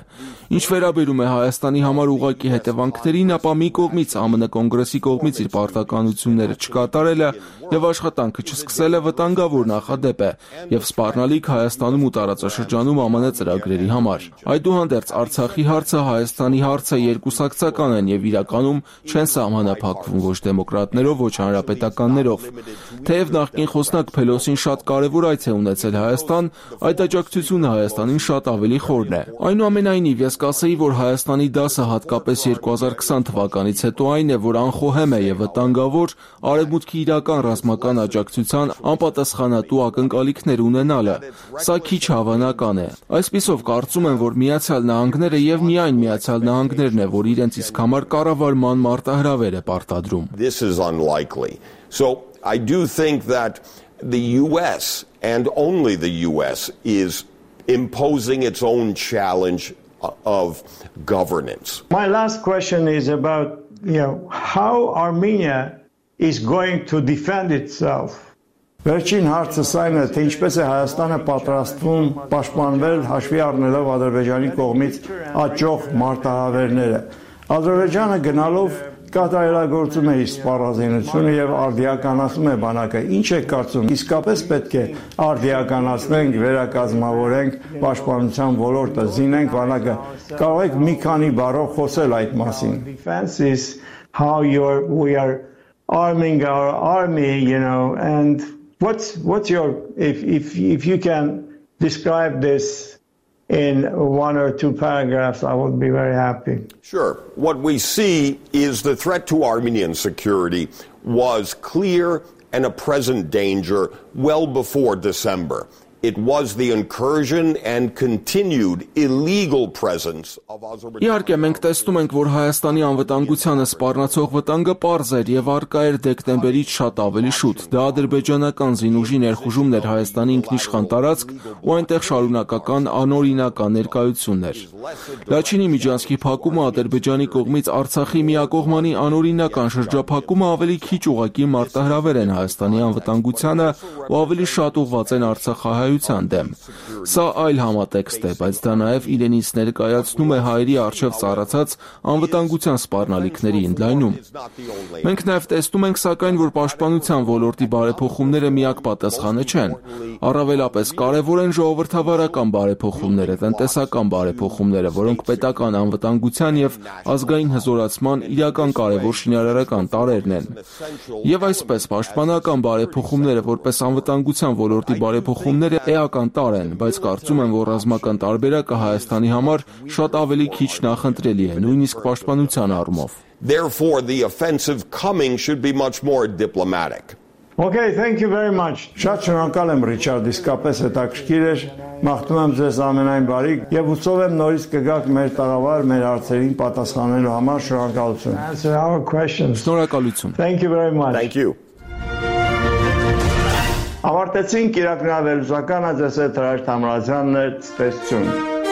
Ինչ վերաբերում է Հայաստանի համար ուղղակի հետևանքներին, ապա մի կողմից ԱՄՆ կոնգրեսի կողմից իր պարտականությունները չկատարելը եւ աշխատանքը չսկսելը վտանգավոր նախադեպ է եւ սպառնալիք Հայաստանում ու տարածաշրջանում ԱՄՆ ծրագրերի համար։ Այդուհանդերձ Արցախի հարցը Հայաստանի հարցը երկուսակցական են եւ իրականում չեն սահմանափակվում ոչ դեմոկրատներով, ոչ հանրապետականներով։ Թեև նախկին խոսնակ Փելոսին շատ կարևոր այց է ունեցել Հայաստան, այդ աջակցությունը Հայաստանին շատ ավելի խորն է։ Այնուամենայնիվ ես կասեի, որ Հայաստանի դասը հատկապես երկու հազար քսան թվականից հետո այն է, որ անխոհեմ է եւ վտանգավոր արևմուտքի իրական ռազմական աջակցության անպատասխանատու ակնկալիքներ ունենալը։ Սա քիչ հավանական է։ Այսպիսով կարծում եմ, որ Միացյալ Նահանգները եւ միայն Միացյալ Նահանգներն է, որ իրենց իսկ համար կառավարման մարտահրավեր է պարտադրում։ This is unlikely. So I do think that the U S and only the U S is imposing its own challenge of governance. My last question is about, you know, how Armenia is going to defend itself. Վերջին հարցը այն է, թե ինչպես է Հայաստանը պատրաստվում պաշտպանվել հաշվի առնելով Ադրբեջանի կողմից աճող մարտահրավերները։ Ադրբեջանը գնալով կատարելագործում է իր սպառազինությունը եւ արդիականացնում է բանակը։ Ինչ է կարծում, իսկապես պետք է արդիականացնենք, վերակազմավորենք պաշտպանության ոլորտը, զինենք բանակը։ Կարող եք մի քանի բառով խոսել այդ մասին։ Defense is how you're we are arming our army, you know, and what's what's your if if if you can describe this in one or two paragraphs, I would be very happy. Sure. What we see is the threat to Armenian security was clear and a present danger well before December. It was the incursion and continued illegal presence of Azerbaijan. Իհարկե մենք տեսնում ենք, որ Հայաստանի անվտանգությանը սպառնացող վտանգը պարզ էր եւ արկա էր դեկտեմբերից շատ ավելի շուտ։ Դա ադրբեջանական զինուժի ներխուժումն էր Հայաստանի ինքնիշխան տարածք ու այնտեղ շարունակական անօրինական ներկայությունն էր։ Լաչինի միջանցքի փակումը Ադրբեջանի կողմից Արցախի միակողմանի անօրինական շրջափակումը ավելի քիչ ուղղակի մարտահրավեր են Հայաստանի անվտանգությանը ու ավելի շատ ուղղված են Արցախահայության դեմ։ Սա այլ համատեքստ է, բայց դա նաև իրենից ներկայացնում է հայերի առջև ծառացած անվտանգության սպառնալիքների ընդլայնում։ Մենք նաև տեսնում ենք սակայն, որ պաշտպանության ոլորտի բարեփոխումները միակ պատասխանը չեն։ Առավելապես կարևոր են ժողովրդավարական բարեփոխումները, տնտեսական բարեփոխումները, որոնք պետական անվտանգության եւ ազգային հզորացման իրական կարևոր շինարարական տարրերն են։ Եվ այսպես պաշտպանական բարեփոխումները որպես անվտանգության ոլորտի բարեփոխումները էական տարր են, բայց կարծում եմ, որ ռազմական տարբերակը Հայաստանի համար շատ ավելի քիչ նախընտրելի է, նույնիսկ պաշտպանության առումով։ Therefore, the offensive coming should be much more diplomatic. Okay, thank you very much. Շատ շնորհակալ եմ Ռիչարդ, իսկապես հետաքրքիր էր։ Մաղթում եմ ձեզ ամենայն բարիք եւ հուսով եմ նորից կգաք մեր տաղավար, մեր հարցերին պատասխանելու համար։ Շնորհակալություն։ Answer our questions. Շնորհակալություն։ Thank you very much. Thank you. Ավարտեցինք Իրաք նրա վերլուծականը, ձեզ հետ Հրաշք Թամրազյանն է, ցտեսություն։